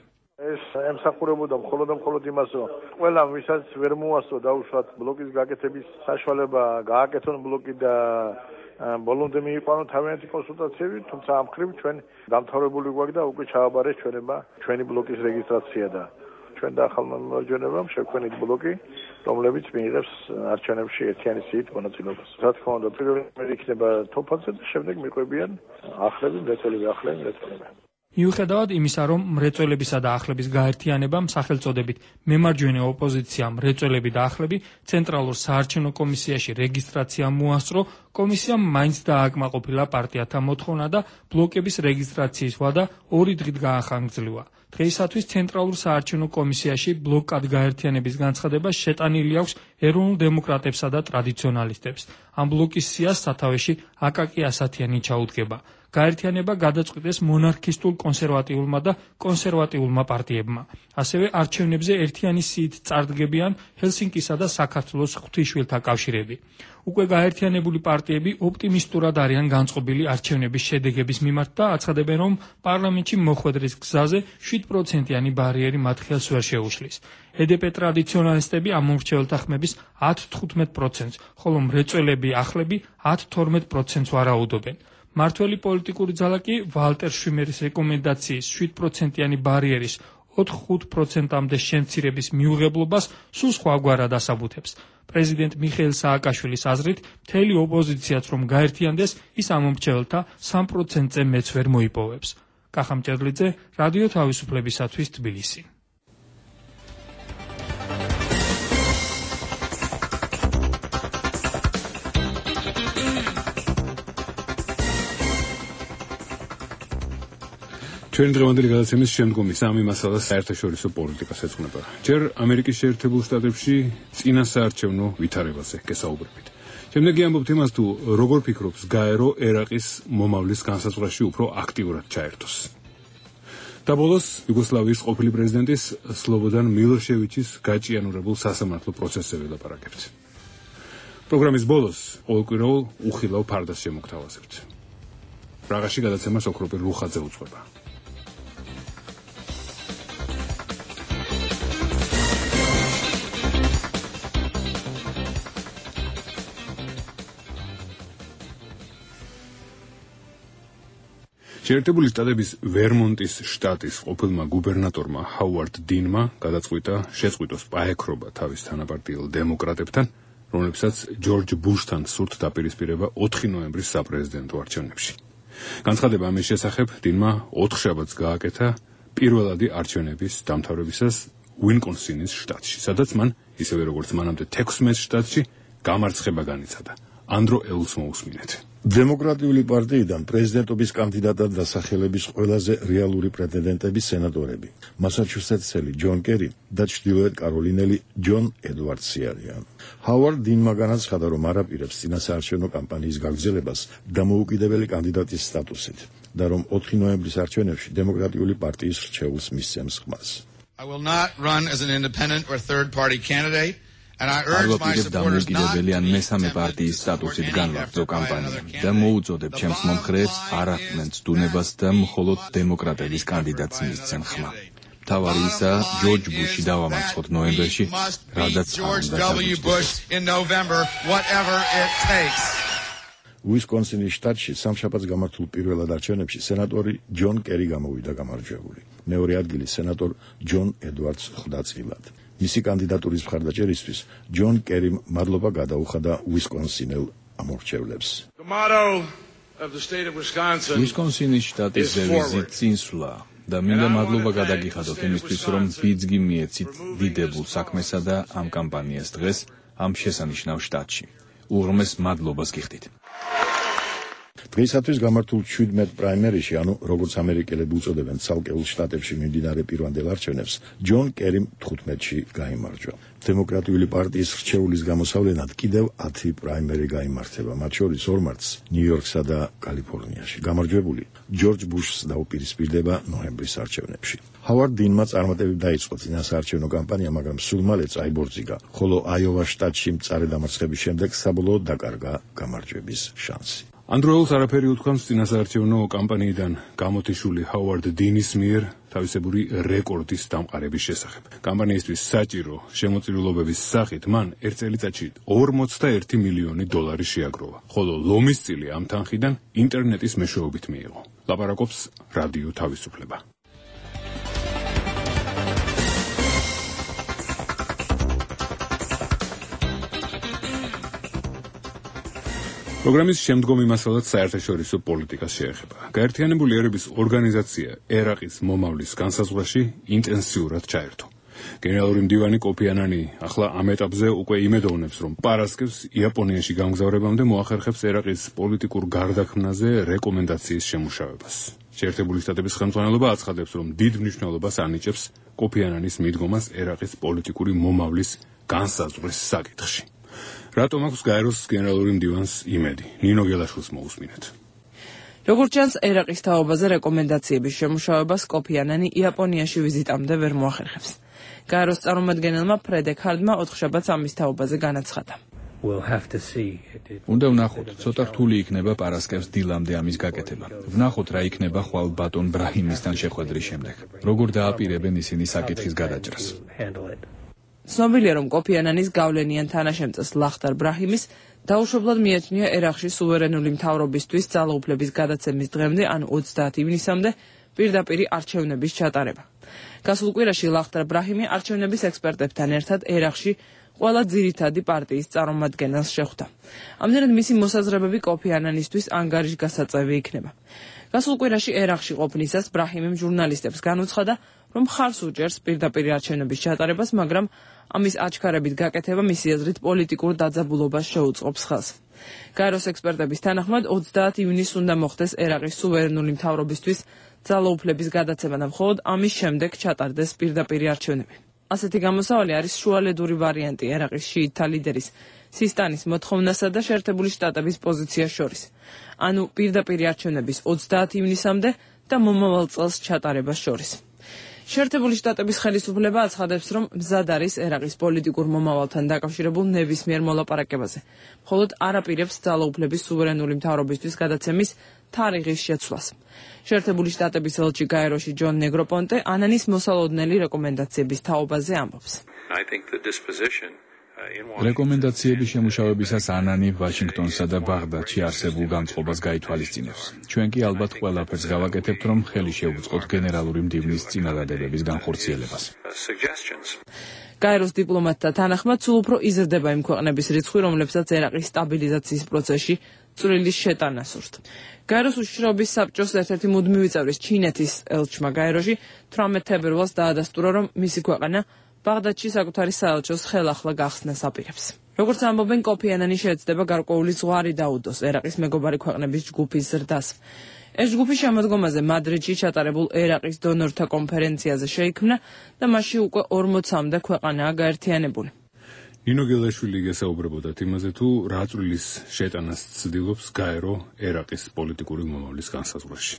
ეს ემსახურებოდა მხოლოდ და მხოლოდ იმას, რომ ყველა ვისაც ვერ მოასწრო დაუშვათ ბლოკის გაკეთების საშუალება, გააკეთონ ბლოკი და ბოლომდე მიიყვანონ თავიანთი კონსულტაციები, თუმცა ამ მხრივ ჩვენ დამთავრებული გვაქვს და უკვე ჩააბარეს ჩვენება ჩვენი ბლოკის რეგისტრაცია და ჩვენ და ახალმა მემარჯვენებამ შექმნით ბლოკი, რომლებიც მიიღებს არჩევნებში ერთიანი სიით მონაწილეობას. რა თქმა უნდა, პირველი იქნება თოფაზე და შემდეგ მიყვებიან ახლები, მრეწველები, ახლები, მრეწველები. მიუხედავად იმისა, რომ მრეწველებისა და ახლების გაერთიანებამ სახელწოდებით მემარჯვენე ოპოზიცია მრეწველები და ახლები ცენტრალურ საარჩევნო კომისიაში რეგისტრაცია მოასწრო, კომისიამ მაინც დააკმაყოფილა პარტიათა მოთხოვნა და ბლოკების რეგისტრაციის ვადა ორი დღით გაახანგრძლივა. დღეისათვის ცენტრალურ საარჩევნო კომისიაში ბლოკად გაერთიანების განცხადება შეტანილი აქვს ეროვნულ დემოკრატებსა და ტრადიციონალისტებს. ამ ბლოკის სიას სათავეში აკაკი ასათიანი ჩაუდგება. გაერთიანება გადაწყვიტეს მონარქისტულ კონსერვატიულმა და კონსერვატიულმა პარტიებმა. ასევე არჩევნებზე ერთიანი სიით წარდგებიან ჰელსინკისა და საქართველოს ღვთისმშვილთა კავშირები. უკვე გაერთიანებული პარტიები ოპტიმისტურად არიან განწყობილი არჩევნების შედეგების მიმართ და აცხადებენ, რომ პარლამენტში მოხვედრის გზაზე შვიდ პროცენტიანი ბარიერი მათ ხელს ვერ შეუშლის. ედპ ტრადიციონალისტები ამ მომრჩეველთა ხმების ათ თხუთმეტ პროცენტს, ხოლო მრეწველები ახლები ათ თორმეტ პროცენტს ვარაუდობენ. მართველი პოლიტიკური ძალა კი ვალტერ შვიმერის რეკომენდაციის შვიდ პროცენტიანი ბარიერის ოთხ ხუთი პროცენტამდე შემცირების მიუღებლობას სულ სხვაგვარად ასაბუთებს. პრეზიდენტ მიხეილ სააკაშვილის აზრით, მთელი ოპოზიციაც რომ გაერთიანდეს, ის ამ მომრჩეველთა სამ პროცენტზე მეც ვერ მოიპოვებს. კახა მჭედლიძე, რადიო თავისუფლებისათვის თბილისი. ჩვენი დღევანდელი გადაცემის შემდგომი სამი მასალა საერთაშორისო პოლიტიკას ეძღვნება. ჯერ ამერიკის შეერთებულ შტატებში წინასაარჩევნო ვითარებაზე გესაუბრებით. შემდეგი ამბობთ იმას, თუ როგორ ფიქრობს გაერო ერაყის მომავლის განსაზღვრაში უფრო აქტიურად ჩაერთოს. და ბოლოს იუგოსლავიის ყოფილი პრეზიდენტის სლობოდან მილოშევიჩის გაჭიანურებულ სასამართლო პროცესზე ვილაპარაკებთ. პროგრამის ბოლოს ყოველკვირეულ უხილავ ფარდას შემოგთავაზებთ. პრაღაში გადაცემას ოქროპი ლუხაძე უძღვება. შეერთებული შტატების ვერმონტის შტატის ყოფილმა გუბერნატორმა ჰაუარდ დინმა გადაწყვიტა შეწყვიტოს პაექრობა თავის თანაპარტიელ დემოკრატებთან, რომლებსაც ჯორჯ ბუშთან სურთ დაპირისპირება ოთხი ნოემბრის საპრეზიდენტო არჩევნებში. განცხადება ამის შესახებ დინმა ოთხშაბათს გააკეთა პირველადი არჩევნების დამთავრებისას უინკონსინის შტატში, სადაც მან, ისევე როგორც მანამდე თექვსმეტ შტატში, გამარცხება განიცადა. ანდრო ელს მოусმინეთ. დემოკრატიული პარტიიდან პრეზიდენტობის კანდიდატად დასახელების ყველაზე რეალური პრეტენდენტები სენატორები მასაჩუსეტსელი ჯონ კერი და ჩრდილოეთ კაროლინელი ჯონ ედვარდსი არიან. ჰავარდ დინმა განაცხადა, რომ არ აპირებს წინასაარჩევნო კამპანიის გაგრძელებას დამოუკიდებელი კანდიდატის სტატუსით და რომ ოთხი ნოემბრის არჩევნებში დემოკრატიული პარტიის რჩეულს მისცემს ხმას. I will not run as an independent or third party candidate. არ ვაპირებ დამოუკიდებელი ან მესამე პარტიის სტატუსით განვაგრძო კამპანია და მოუწოდებ ჩემს მომხრეებს არ აყმენ ცდუნებას და მხოლოდ დემოკრატების კანდიდატს მისცენ ხმა. მთავარი ისა ჯორჯ ბუში დავამარცხოთ ნოემბერში, რადგან უისკონსინის შტატში სამშაბათს გამართულ პირველად არჩევნებში სენატორი ჯონ კერი გამოვიდა გამარჯვებული. მეორე ადგილი სენატორ ჯონ ედვარდს ხვდა წილად. მისი კანდიდატურის მხარდაჭერისთვის ჯონ კერიმ მადლობა გადაუხადა უისკონსინელ ამორჩევლებს. უისკონსინის შტატის დევიზი წინსვლა და მინდა მადლობა გადაგიხადოთ იმისთვის, რომ ბიძგი მიეცით დიდებულ საქმესა და ამ კამპანიას დღეს ამ შესანიშნავ შტატში. უღრმეს მადლობას გიხდით. დღეისათვის გამართულ შვიდმეტ პრაიმერიში, ანუ როგორც ამერიკელები უწოდებენ ცალკეულ შტატებში მიმდინარე პირვანდელ არჩევნებს, ჯონ კერიმ თხუთმეტში გაიმარჯვა. დემოკრატიული პარტიის რჩეულის გამოსავლენად კიდევ ათი პრაიმერი გაიმართება, მათ შორის ორ მარტს ნიუ-იორკსა და კალიფორნიაში. გამარჯვებული ჯორჯ ბუშს დაუპირისპირდება ნოემბრის არჩევნებში. ჰავარდ დინმა წარმატებით დაიწყო წინასაარჩევნო კამპანია, მაგრამ სულ მალე წაიბორძიგა, ხოლო აიოვა შტატში მწარე დამარცხების შემდეგ საბოლოოდ დაკარგა გამარჯვების შანსი. ანდროელს არაფერი უთქვამს წინასაარჩევნო კამპანიიდან გამოთიშული ჰავარდ დინის მიერ თავისებური რეკორდის დამყარების შესახებ. კამპანიისთვის საჭირო შემოწირულობების სახით მან ერთ წელიწადში ორმოცდაერთი მილიონი დოლარი შეაგროვა, ხოლო ლომის წილი ამ თანხიდან ინტერნეტის მეშვეობით მიიღო. ლაპარაკობს რადიო თავისუფლება. პროგრამის შემდგომი მასალაც საერთაშორისო პოლიტიკას შეეხება. გაერთიანებული ერების ორგანიზაცია ერაყის მომავლის განსაზღვრაში ინტენსიურად ჩაერთო. გენერალური მდივანი კოფი ანანი ახლა ამ ეტაპზე უკვე იმედოვნებს, რომ პარასკევს იაპონიაში გამგზავრებამდე მოახერხებს ერაყის პოლიტიკურ გარდაქმნაზე რეკომენდაციის შემუშავებას. შეერთებული შტატების ხელმძღვანელობა აცხადებს, რომ დიდ მნიშვნელობას ანიჭებს კოფი ანანის მიდგომას ერაყის პოლიტიკური მომავლის განსაზღვრის საკითხში. რატომ აქვს გაეროს გენერალური მდივანს იმედი? ნინო გელაშვილს მოусმინეთ. როგორც ჩანს, ერაყის თაობაზე რეკომენდაციების შემუშავებას კოფი ანანი იაპონიაში ვიზიტამდე ვერ მოახერხებს. გაეროს წარმომადგენელმა ფრედეკ ჰარდმა ოთხშაბათს ამის თაობაზე განაცხადა. უნდა ვნახოთ, ცოტა რთული იქნება პარასკევს დილამდე ამის გაკეთება. ვნახოთ რა იქნება ხვალ ბატონ ბრაჰიმისთან შეხვედრის შემდეგ. როგორ დააპირებენ ისინი საკითხის გადაჭრას. ცნობილია, რომ კოფი ანანის გავლენიან თანაშემწეს ლახტარ ბრაჰიმის დაუშვებლად მიეჩნია ერაყში სუვერენული მთავრობისთვის ძალაუფლების გადაცემის დღემდე, ან ოცდაათი ივნისამდე პირდაპირი არჩევნების ჩატარება. გასულ კვირაში ლახტარ ბრაჰიმი არჩევნების ექსპერტებთან ერთად ერაყში ყველა ძირითადი პარტიის წარმომადგენელს შეხვდა. ამდენად მისი მოსაზრებები კოფი ანანისთვის ანგარიშგასაწევი იქნება. გასულ კვირაში ერაყში ყოფნისას ბრაჰიმიმ ჟურნალისტებს განუცხადა, რომ მხარს უჭერს პირდაპირი არჩევნების ჩატარებას, მაგრამ ამის აჩქარებით გაკეთება მისი აზრით პოლიტიკურ დაძაბულობას შეუწყობს ხელს. გაეროს ექსპერტების თანახმად ოცდაათი ივნისს უნდა მოხდეს ერაყის სუვერენული მთავრობისთვის ძალაუფლების გადაცემა და მხოლოდ ამის შემდეგ ჩატარდეს პირდაპირი არჩევნები. ასეთი გამოსავალი არის შუალედური ვარიანტი ერაყის შიიტთა ლიდერის სისტანის მოთხოვნასა და შეერთებული შტატების პოზიციას შორის. ანუ პირდაპირი არჩევნების ოცდაათი ივნისამდე და მომავალ წელს ჩატარებას შორის. შეერთებული შტატების ხელისუფლება აცხადებს, რომ მზად არის ერაყის პოლიტიკურ მომავალთან დაკავშირებულ ნებისმიერ მოლაპარაკებაზე, მხოლოდ არ აპირებს ძალაუფლების სუვერენული მთავრობისთვის გადაცემის თარიღის შეცვლას. შეერთებული შტატების ელჩი გაეროში ჯონ ნეგროპონტე ანანის მოსალოდნელი რეკომენდაციების თაობაზე ამბობს. რეკომენდაციების შემუშავებისას ანანი ვაშინგტონსა და ბაღდადში არსებულ განწყობას გაითვალისწინებს. ჩვენ კი ალბათ ყველაფერს გავაკეთებთ, რომ ხელი შევუწყოთ გენერალური მდივნის წინადადებების განხორციელებას. გაეროს დიპლომატთა თანახმად, სულ უფრო იზრდება იმ ქვეყნების რიცხვი, რომლებსაც ერაყის სტაბილიზაციის პროცესში წვრილი შეტანა სურთ. გაეროს უშიშროების საბჭოს ერთ-ერთი მუდმივი წევრის ჩინეთის ელჩმა გაეროში თვრამეტ თებერვალს დაადასტურა, რომ მისი ქვეყანა ბაღდადში საკუთარი საელჩოს ხელახლა გახსნას აპირებს. როგორც ამბობენ, კოფი ანანი შეეცდება გარკვეული ზღვარი დაუდოს ერაყის მეგობარი ქვეყნების ჯგუფის ზრდას. ეს ჯგუფი შემოდგომაზე მადრიდში ჩატარებულ ერაყის დონორთა კონფერენციაზე შეიქმნა და მასში უკვე ორმოცამდე ქვეყანაა გაერთიანებული. ნინო გელაშვილი გესაუბრებოდა იმაზე, თუ რა წვლილის შეტანას ცდილობს გაერო ერაყის პოლიტიკური მომავლის განსაზღვრაში.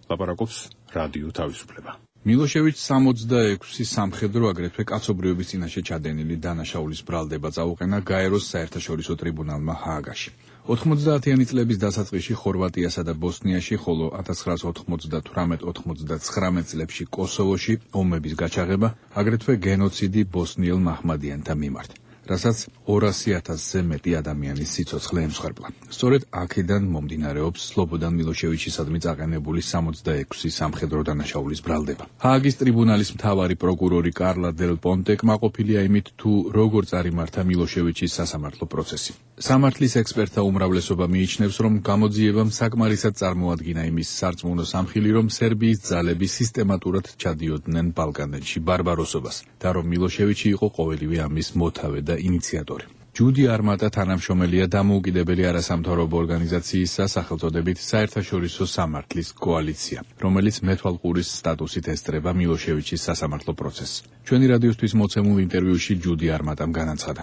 ლაპარაკობს რადიო თავისუფლება. მილოშევიჩს სამოცდაექვსი სამხედრო აგრეთვე კაცობრიობის წინაშე ჩადენილი დანაშაულის ბრალდება წაუყენა გაეროს საერთაშორისო ტრიბუნალმა ჰააგაში. ოთხმოცდაათიანი წლების დასაწყისში ხორვატიასა და ბოსნიაში, ხოლო ათას ცხრაას ოთხმოცდათვრამეტ ოცდაათწლეებში წლებში კოსოვოში ომების გაჩაღება, აგრეთვე გენოციდი ბოსნიელ მაჰმადიანთა მიმართ, რასაც ორასი ათასზე მეტი ადამიანის სიცოცხლე ემსხვერპლა. სწორედ აქედან მომდინარეობს სლობოდან მილოშევიჩისადმი წაყენებული სამოცდაექვსი სამხედრო დანაშაულის ბრალდება. ჰააგის ტრიბუნალის მთავარი პროკურორი კარლა დელ პონტე კმაყოფილია იმით, თუ როგორ წარიმართა მილოშევიჩის სასამართლო პროცესი. სამართლის ექსპერტთა უმრავლესობა მიიჩნევს, რომ გამოძიებამ საკმარისად წარმოადგინა იმის სარწმუნო სამხილი, რომ სერბიის ძალები სისტემატურად ჩადიოდნენ ბალკანეთში ბარბაროსობას და რომ მილოშევიჩი იყო ყოველივე ამის მოთავე და ინიციატორი. ჯუდი არმატა თანამშრომელია დამოუკიდებელი არასამთავრობო ორგანიზაციისა სახელწოდებით საერთაშორისო სამართლის კოალიცია, რომელიც მეთვალყურის სტატუსით ესწრება მილოშევიჩის სასამართლო პროცესს. ჩვენი რადიოსთვის მოცემულ ინტერვიუში ჯუდი არმატამ განაცხადა.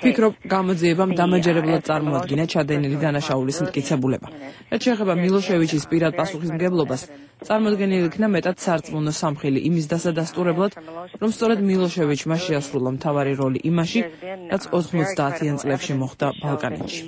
ფიქრობ, გამოძიებამ დამაჯერებლად წარმოადგინა ჩადენილი დანაშაულის მტკიცებულება. რაც შეეხება მილოშევიჩის პირად პასუხისმგებლობას, წარმოდგენილი იქნა მეტად სარწმუნო სამხილი იმის დასადასტურებლად, რომ სწორედ მილოშევიჩმა შეასრულა მთავარი როლი იმაში, რაც ოცდაათიან წლებში მოხდა ბალკანეთში.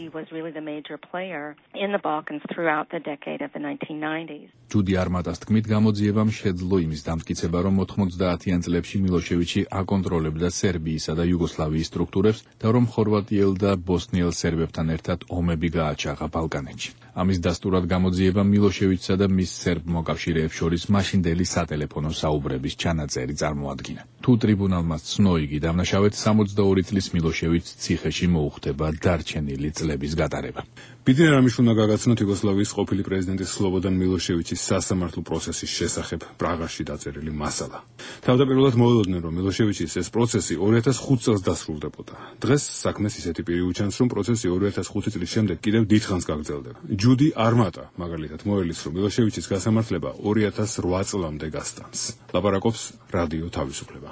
ჯუდი არმატას თქმით, გამოძიებამ შეძლო იმის დამტკიცება, რომ ოთხმოცდაათიან წლებში მილოშევიჩი აკონტროლებდა სერბიისა და იუგოსლავიის სტრუქტურებს და რომ ხორვატიელ და ბოსნიელ სერბებთან ერთად ომები გააჩაღა ბალკანეთში. ამის დასტურად გამოძიებამ მილოშევიჩსა და მის სერბ მოკავშირეებს შორის მაშინდელი სატელეფონო საუბრების ჩანაწერი წარმოადგინა. თუ ტრიბუნალმა ცნო იგი დამნაშავედ, სამოცდაორი წლის მილოშევიჩს ციხეში მოუხდება დარჩენილი წლების გატარება. ბიძინა რამის უნდა გაგაცნოთ იუგოსლავიის ყოფილი პრეზიდენტის სლობოდან მილოშევიჩის სასამართლო პროცესის შესახებ პრაღაში დაწერილი მასალა. თავდაპირველად მოელოდნენ, რომ მილოშევიჩის ეს პროცესი ორი ათას ხუთ წელს დასრულდებოდა. დღეს საქმეს ისეთი პირი უჩანს, რომ პროცესი ორი ათას ხუთი წლის შემდეგ კიდევ დიდხანს გაგრძელდება. ჯუდი არმატა მაგალითად მოელის, რომ მილოშევიჩის გასამართლება ორი ათას რვა წლამდე გასტანს. ლაპარაკობს რადიო თავისუფლება.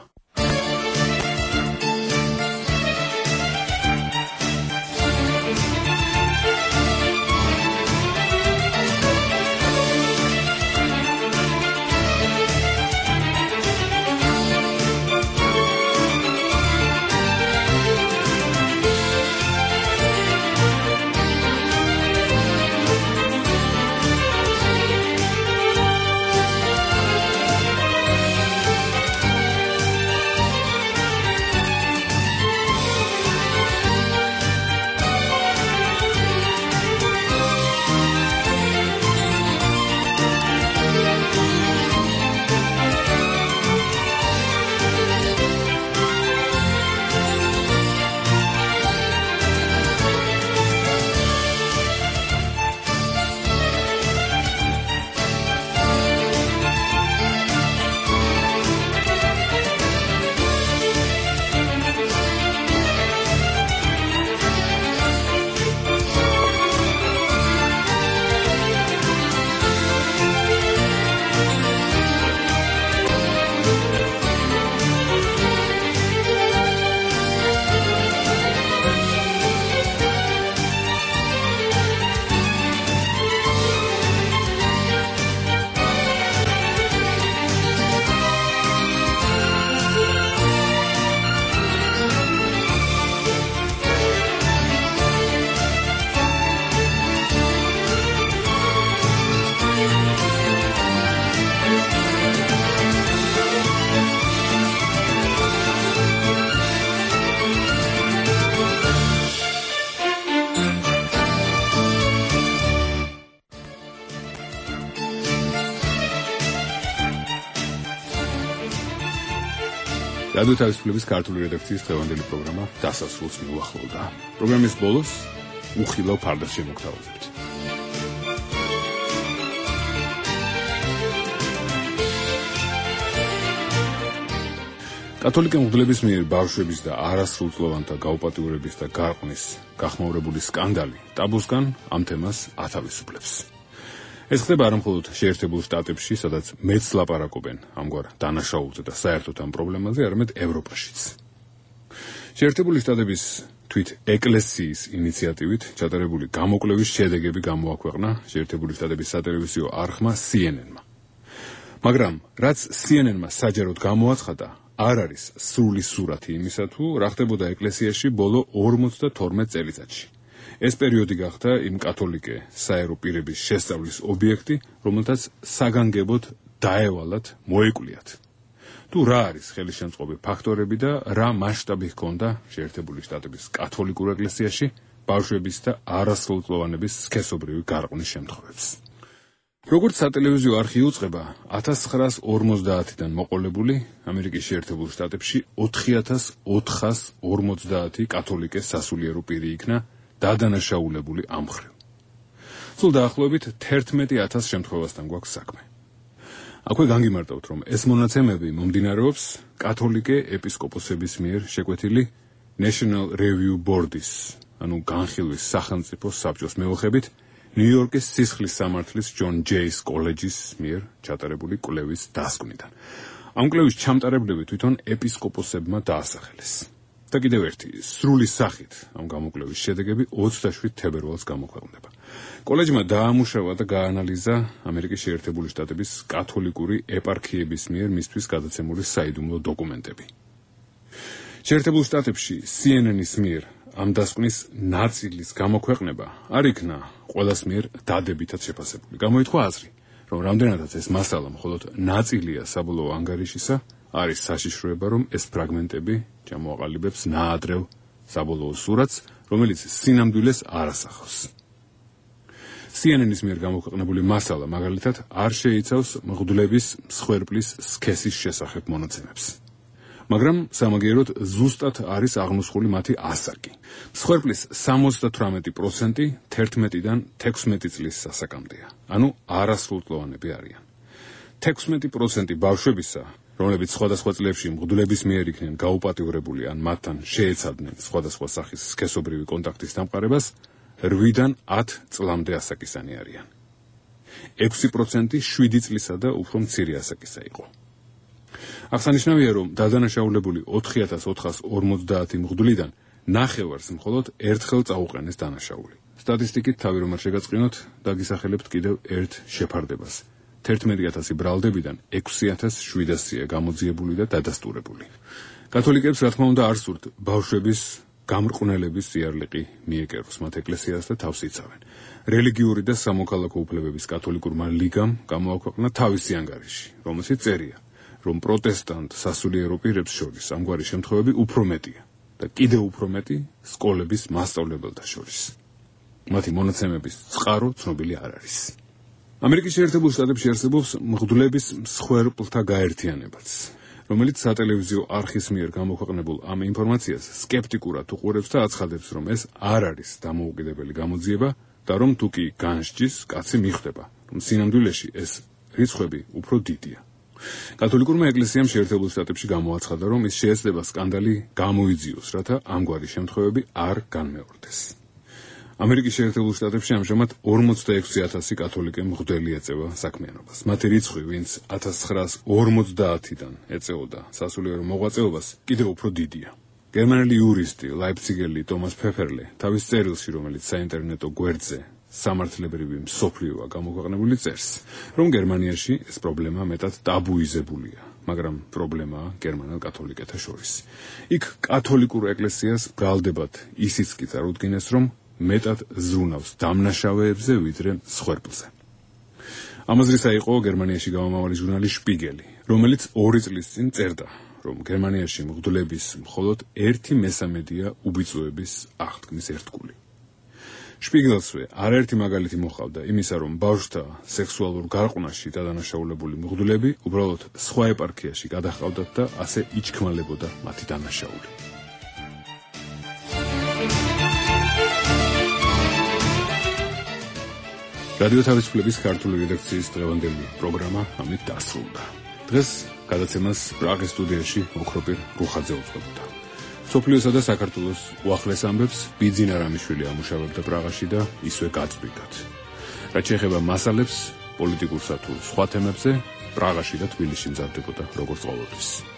რადიო თავისუფლების ქართული რედაქციის დღევანდელი პროგრამა დასასრულს მიუახლოვდა. პროგრამის ბოლოს უხილავ ფარდას შემოგთავაზებთ. კათოლიკე მღვდლების მიერ ბავშვების და არასრულწლოვანთა გაუპატიურების და გარყვნის გახმაურებული სკანდალი ტაბუსგან ამ თემას ათავისუფლებს. ეს ხდება არა მხოლოდ შეერთებულ შტატებში, სადაც მეც ლაპარაკობენ ამგვარ დანაშაულზე და საერთოდ ამ პრობლემაზე, არამედ ევროპაშიც. შეერთებული შტატების თვით ეკლესიის ინიციატივით ჩატარებული გამოკვლევის შედეგები გამოაქვეყნა შეერთებული შტატების სატელევიზიო არხმა C N N-მა. მაგრამ რაც C N N-მა საჯაროდ გამოაცხადა, არ არის სრული სურათი იმისა, თუ რა ხდებოდა ეკლესიაში ბოლო ორმოცდათორმეტ წელიწადში. ეს პერიოდი გახდა იმ კათოლიკე საერო პირების შესწავლის ობიექტი, რომელთაც საგანგებოდ დაევალათ მოეკულიათ. თუ რა არის ხელისშემწყობი ფაქტორები და რა მასშტაბი ჰქონდა შეერთებული შტატების კათოლიკურ ეკლესიაში ბავშვების და არასრულწლოვანების სქესობრივი გარყვნის შემთხვევებს. როგორც სატელევიზიო არხი უწყება, ათას ცხრაას ორმოცდაათიდან მოყოლებული ამერიკის შეერთებულ შტატებში ოთხი ათას ოთხას ორმოცდაათი კათოლიკე სასულიერო პირი იქნა დადანაშაულებული ამ მხრივ. სულ დაახლოებით თერთმეტი ათას შემთხვევასთან გვაქვს საქმე. აქვე განგიმარტავთ, რომ ეს მონაცემები მომდინარეობს კათოლიკე ეპისკოპოსების მიერ შეკვეთილი National Review Board-ის, ანუ განხილვის სახელმწიფო საბჭოს მეოხებით, ნიუ-იორკის სისხლის სამართლის ჯონ ჯეის კოლეჯის მიერ ჩატარებული კვლევის დასკვნიდან. ამ კვლევის ჩამტარებლები თვითონ ეპისკოპოსებმა დაასახელეს. და კიდევ ერთი, სრული სახით ამ გამოკვლევის შედეგები ოცდაშვიდ თებერვალს გამოქვეყნდება. კოლეჯმა დაამუშავა და გაანალიზა ამერიკის შეერთებული შტატების კათოლიკური ეპარქიების მიერ მისთვის გადაცემული საიდუმლო დოკუმენტები. შეერთებულ შტატებში C N N-ის მიერ ამ დასკვნის ნაწილის გამოქვეყნება არ იქნა ყველას მიერ დადებითად შეფასებული. გამოითქვა აზრი, რომ რამდენადაც ეს მასალა მხოლოდ ნაწილია საბოლოო ანგარიშისა, არის საშიშროება, რომ ეს ფრაგმენტები ჩამოაყალიბებს ნაადრევ საბოლოო სურათს, რომელიც სინამდვილეს არ ასახავს. C N N-ის მიერ გამოქვეყნებული მასალა მაგალითად არ შეიცავს მღვდლების მსხვერპლის სქესის შესახებ მონაცემებს. მაგრამ სამაგიეროდ ზუსტად არის აღნუსხული მათი ასაკი. მსხვერპლის სამოცდათვრამეტი პროცენტი თერთმეტიდან თექვსმეტი წლის ასაკამდეა, ანუ არასრულწლოვანები არიან. თექვსმეტი პროცენტი ბავშვებისა, რომლებიც სხვადასხვა წლებში მღვდლების მიერ იქნენ გაუპატიურებული ან მათთან შეეცადნენ სხვადასხვა სახის სქესობრივი კონტაქტის დამყარებას, რვიდან ათ წლამდე ასაკისანი არიან. ექვსი პროცენტი შვიდი წლისა და უფრო მცირე ასაკისა იყო. აღსანიშნავია, რომ დადანაშაულებული ოთხი ათას ოთხას ორმოცდაათი მღვდლიდან ნახევარს მხოლოდ ერთხელ წაუყენეს დანაშაული. სტატისტიკით თავი რომ არ შეგაწყინოთ, დაგისახელებთ კიდევ ერთ შეფარდებას. თერთმეტი ათასი ბრალდებიდან ექვსი ათას შვიდასია გამოძიებული და დადასტურებული. კათოლიკებს რა თქმა უნდა არ სურთ ბავშვების გამრყნელების სიარლიყი მიეკეროს მათ ეკლესიას და თავს იცავენ. რელიგიური და სამოქალაქო უფლებების კათოლიკურმა ლიგამ გამოაქვეყნა თავისი ანგარიში, რომელშიც წერია, რომ პროტესტანტ სასულიერო პირებს შორის ამგვარი შემთხვევები უფრო მეტია და კიდევ უფრო მეტი სკოლების მასწავლებელთა შორის. მათი მონაცემების წყარო ცნობილი არ არის. ამერიკის შეერთებულ შტატებში არსებობს მღვდლების მსხვერპლთა გაერთიანებაც, რომელიც სატელევიზიო არხის მიერ გამოქვეყნებულ ამ ინფორმაციას სკეპტიკურად უყურებს და აცხადებს, რომ ეს არ არის დამოუკიდებელი გამოძიება და რომ თუ კი განსჯის, კაცი მიხვდება, რომ სინამდვილეში ეს რიცხვები უფრო დიდია. კათოლიკურმა ეკლესიამ შეერთებულ შტატებში გამოაცხადა, რომ ის შეეცდება სკანდალი გამოიძიოს, რათა ამგვარი შემთხვევები არ განმეორდეს. ამერიკის შეერთებულ შტატებში ამჟამად ორმოცდაექვსი ათასი კათოლიკე მღვდელი ეწევა საქმიანობას. მათი რიცხვი, ვინც ათას ცხრაას ორმოცდაათიდან ეწეოდა სასულიერო მოღვაწეობას, კიდევ უფრო დიდია. გერმანელი იურისტი, ლაიფციგელი ტომას ფეფერლე თავის წერილში, რომელიც საინტერნეტო გვერდზე სამართლებრივი მსოფლიოა გამოქვეყნებული, წერს, რომ გერმანიაში ეს პრობლემა მეტად ტაბუიზებულია, მაგრამ პრობლემაა გერმანელ კათოლიკეთა შორის. იქ კათოლიკურ ეკლესიას ბრალდებად ისიც კი წარუდგინეს, რომ მეტად ზრუნავს დამნაშავეებზე ვიდრე მსხვერპლზე. ამაზრისა იყო გერმანიაში გამომავალი ჟურნალი შპიგელი, რომელიც ორი წლის წინ წერდა, რომ გერმანიაში მღვდლების მხოლოდ ერთი მესამედია უბიწოების აღთქმის ერთგული. შპიგელსვე არაერთი მაგალითი მოჰყავდა იმისა, რომ ბავშვთა სექსუალურ გარყვნაში დადანაშაულებული მღვდლები უბრალოდ სხვა ეპარქიაში გადაჰყავდათ და ასე იჩქმალებოდა მათი დანაშაული. რადიო თავისუფლების ქართული რედაქციის დღევანდელი პროგრამა ამით დასრულდა. დღეს გადაცემას პრაღის სტუდიაში ოქროპირ რუხაძე უძღვებოდა. სოფლიოსა და საქართველოს უახლეს ამბებს ბიძინა რამიშვილი ამუშავებდა პრაღაში და ისვე გაწვდით. რაც შეეხება მასალებს, პოლიტიკურსა თუ სხვა თემებზე, პრაღაში და თბილისში მზადდებოდა როგორც ყოველთვის.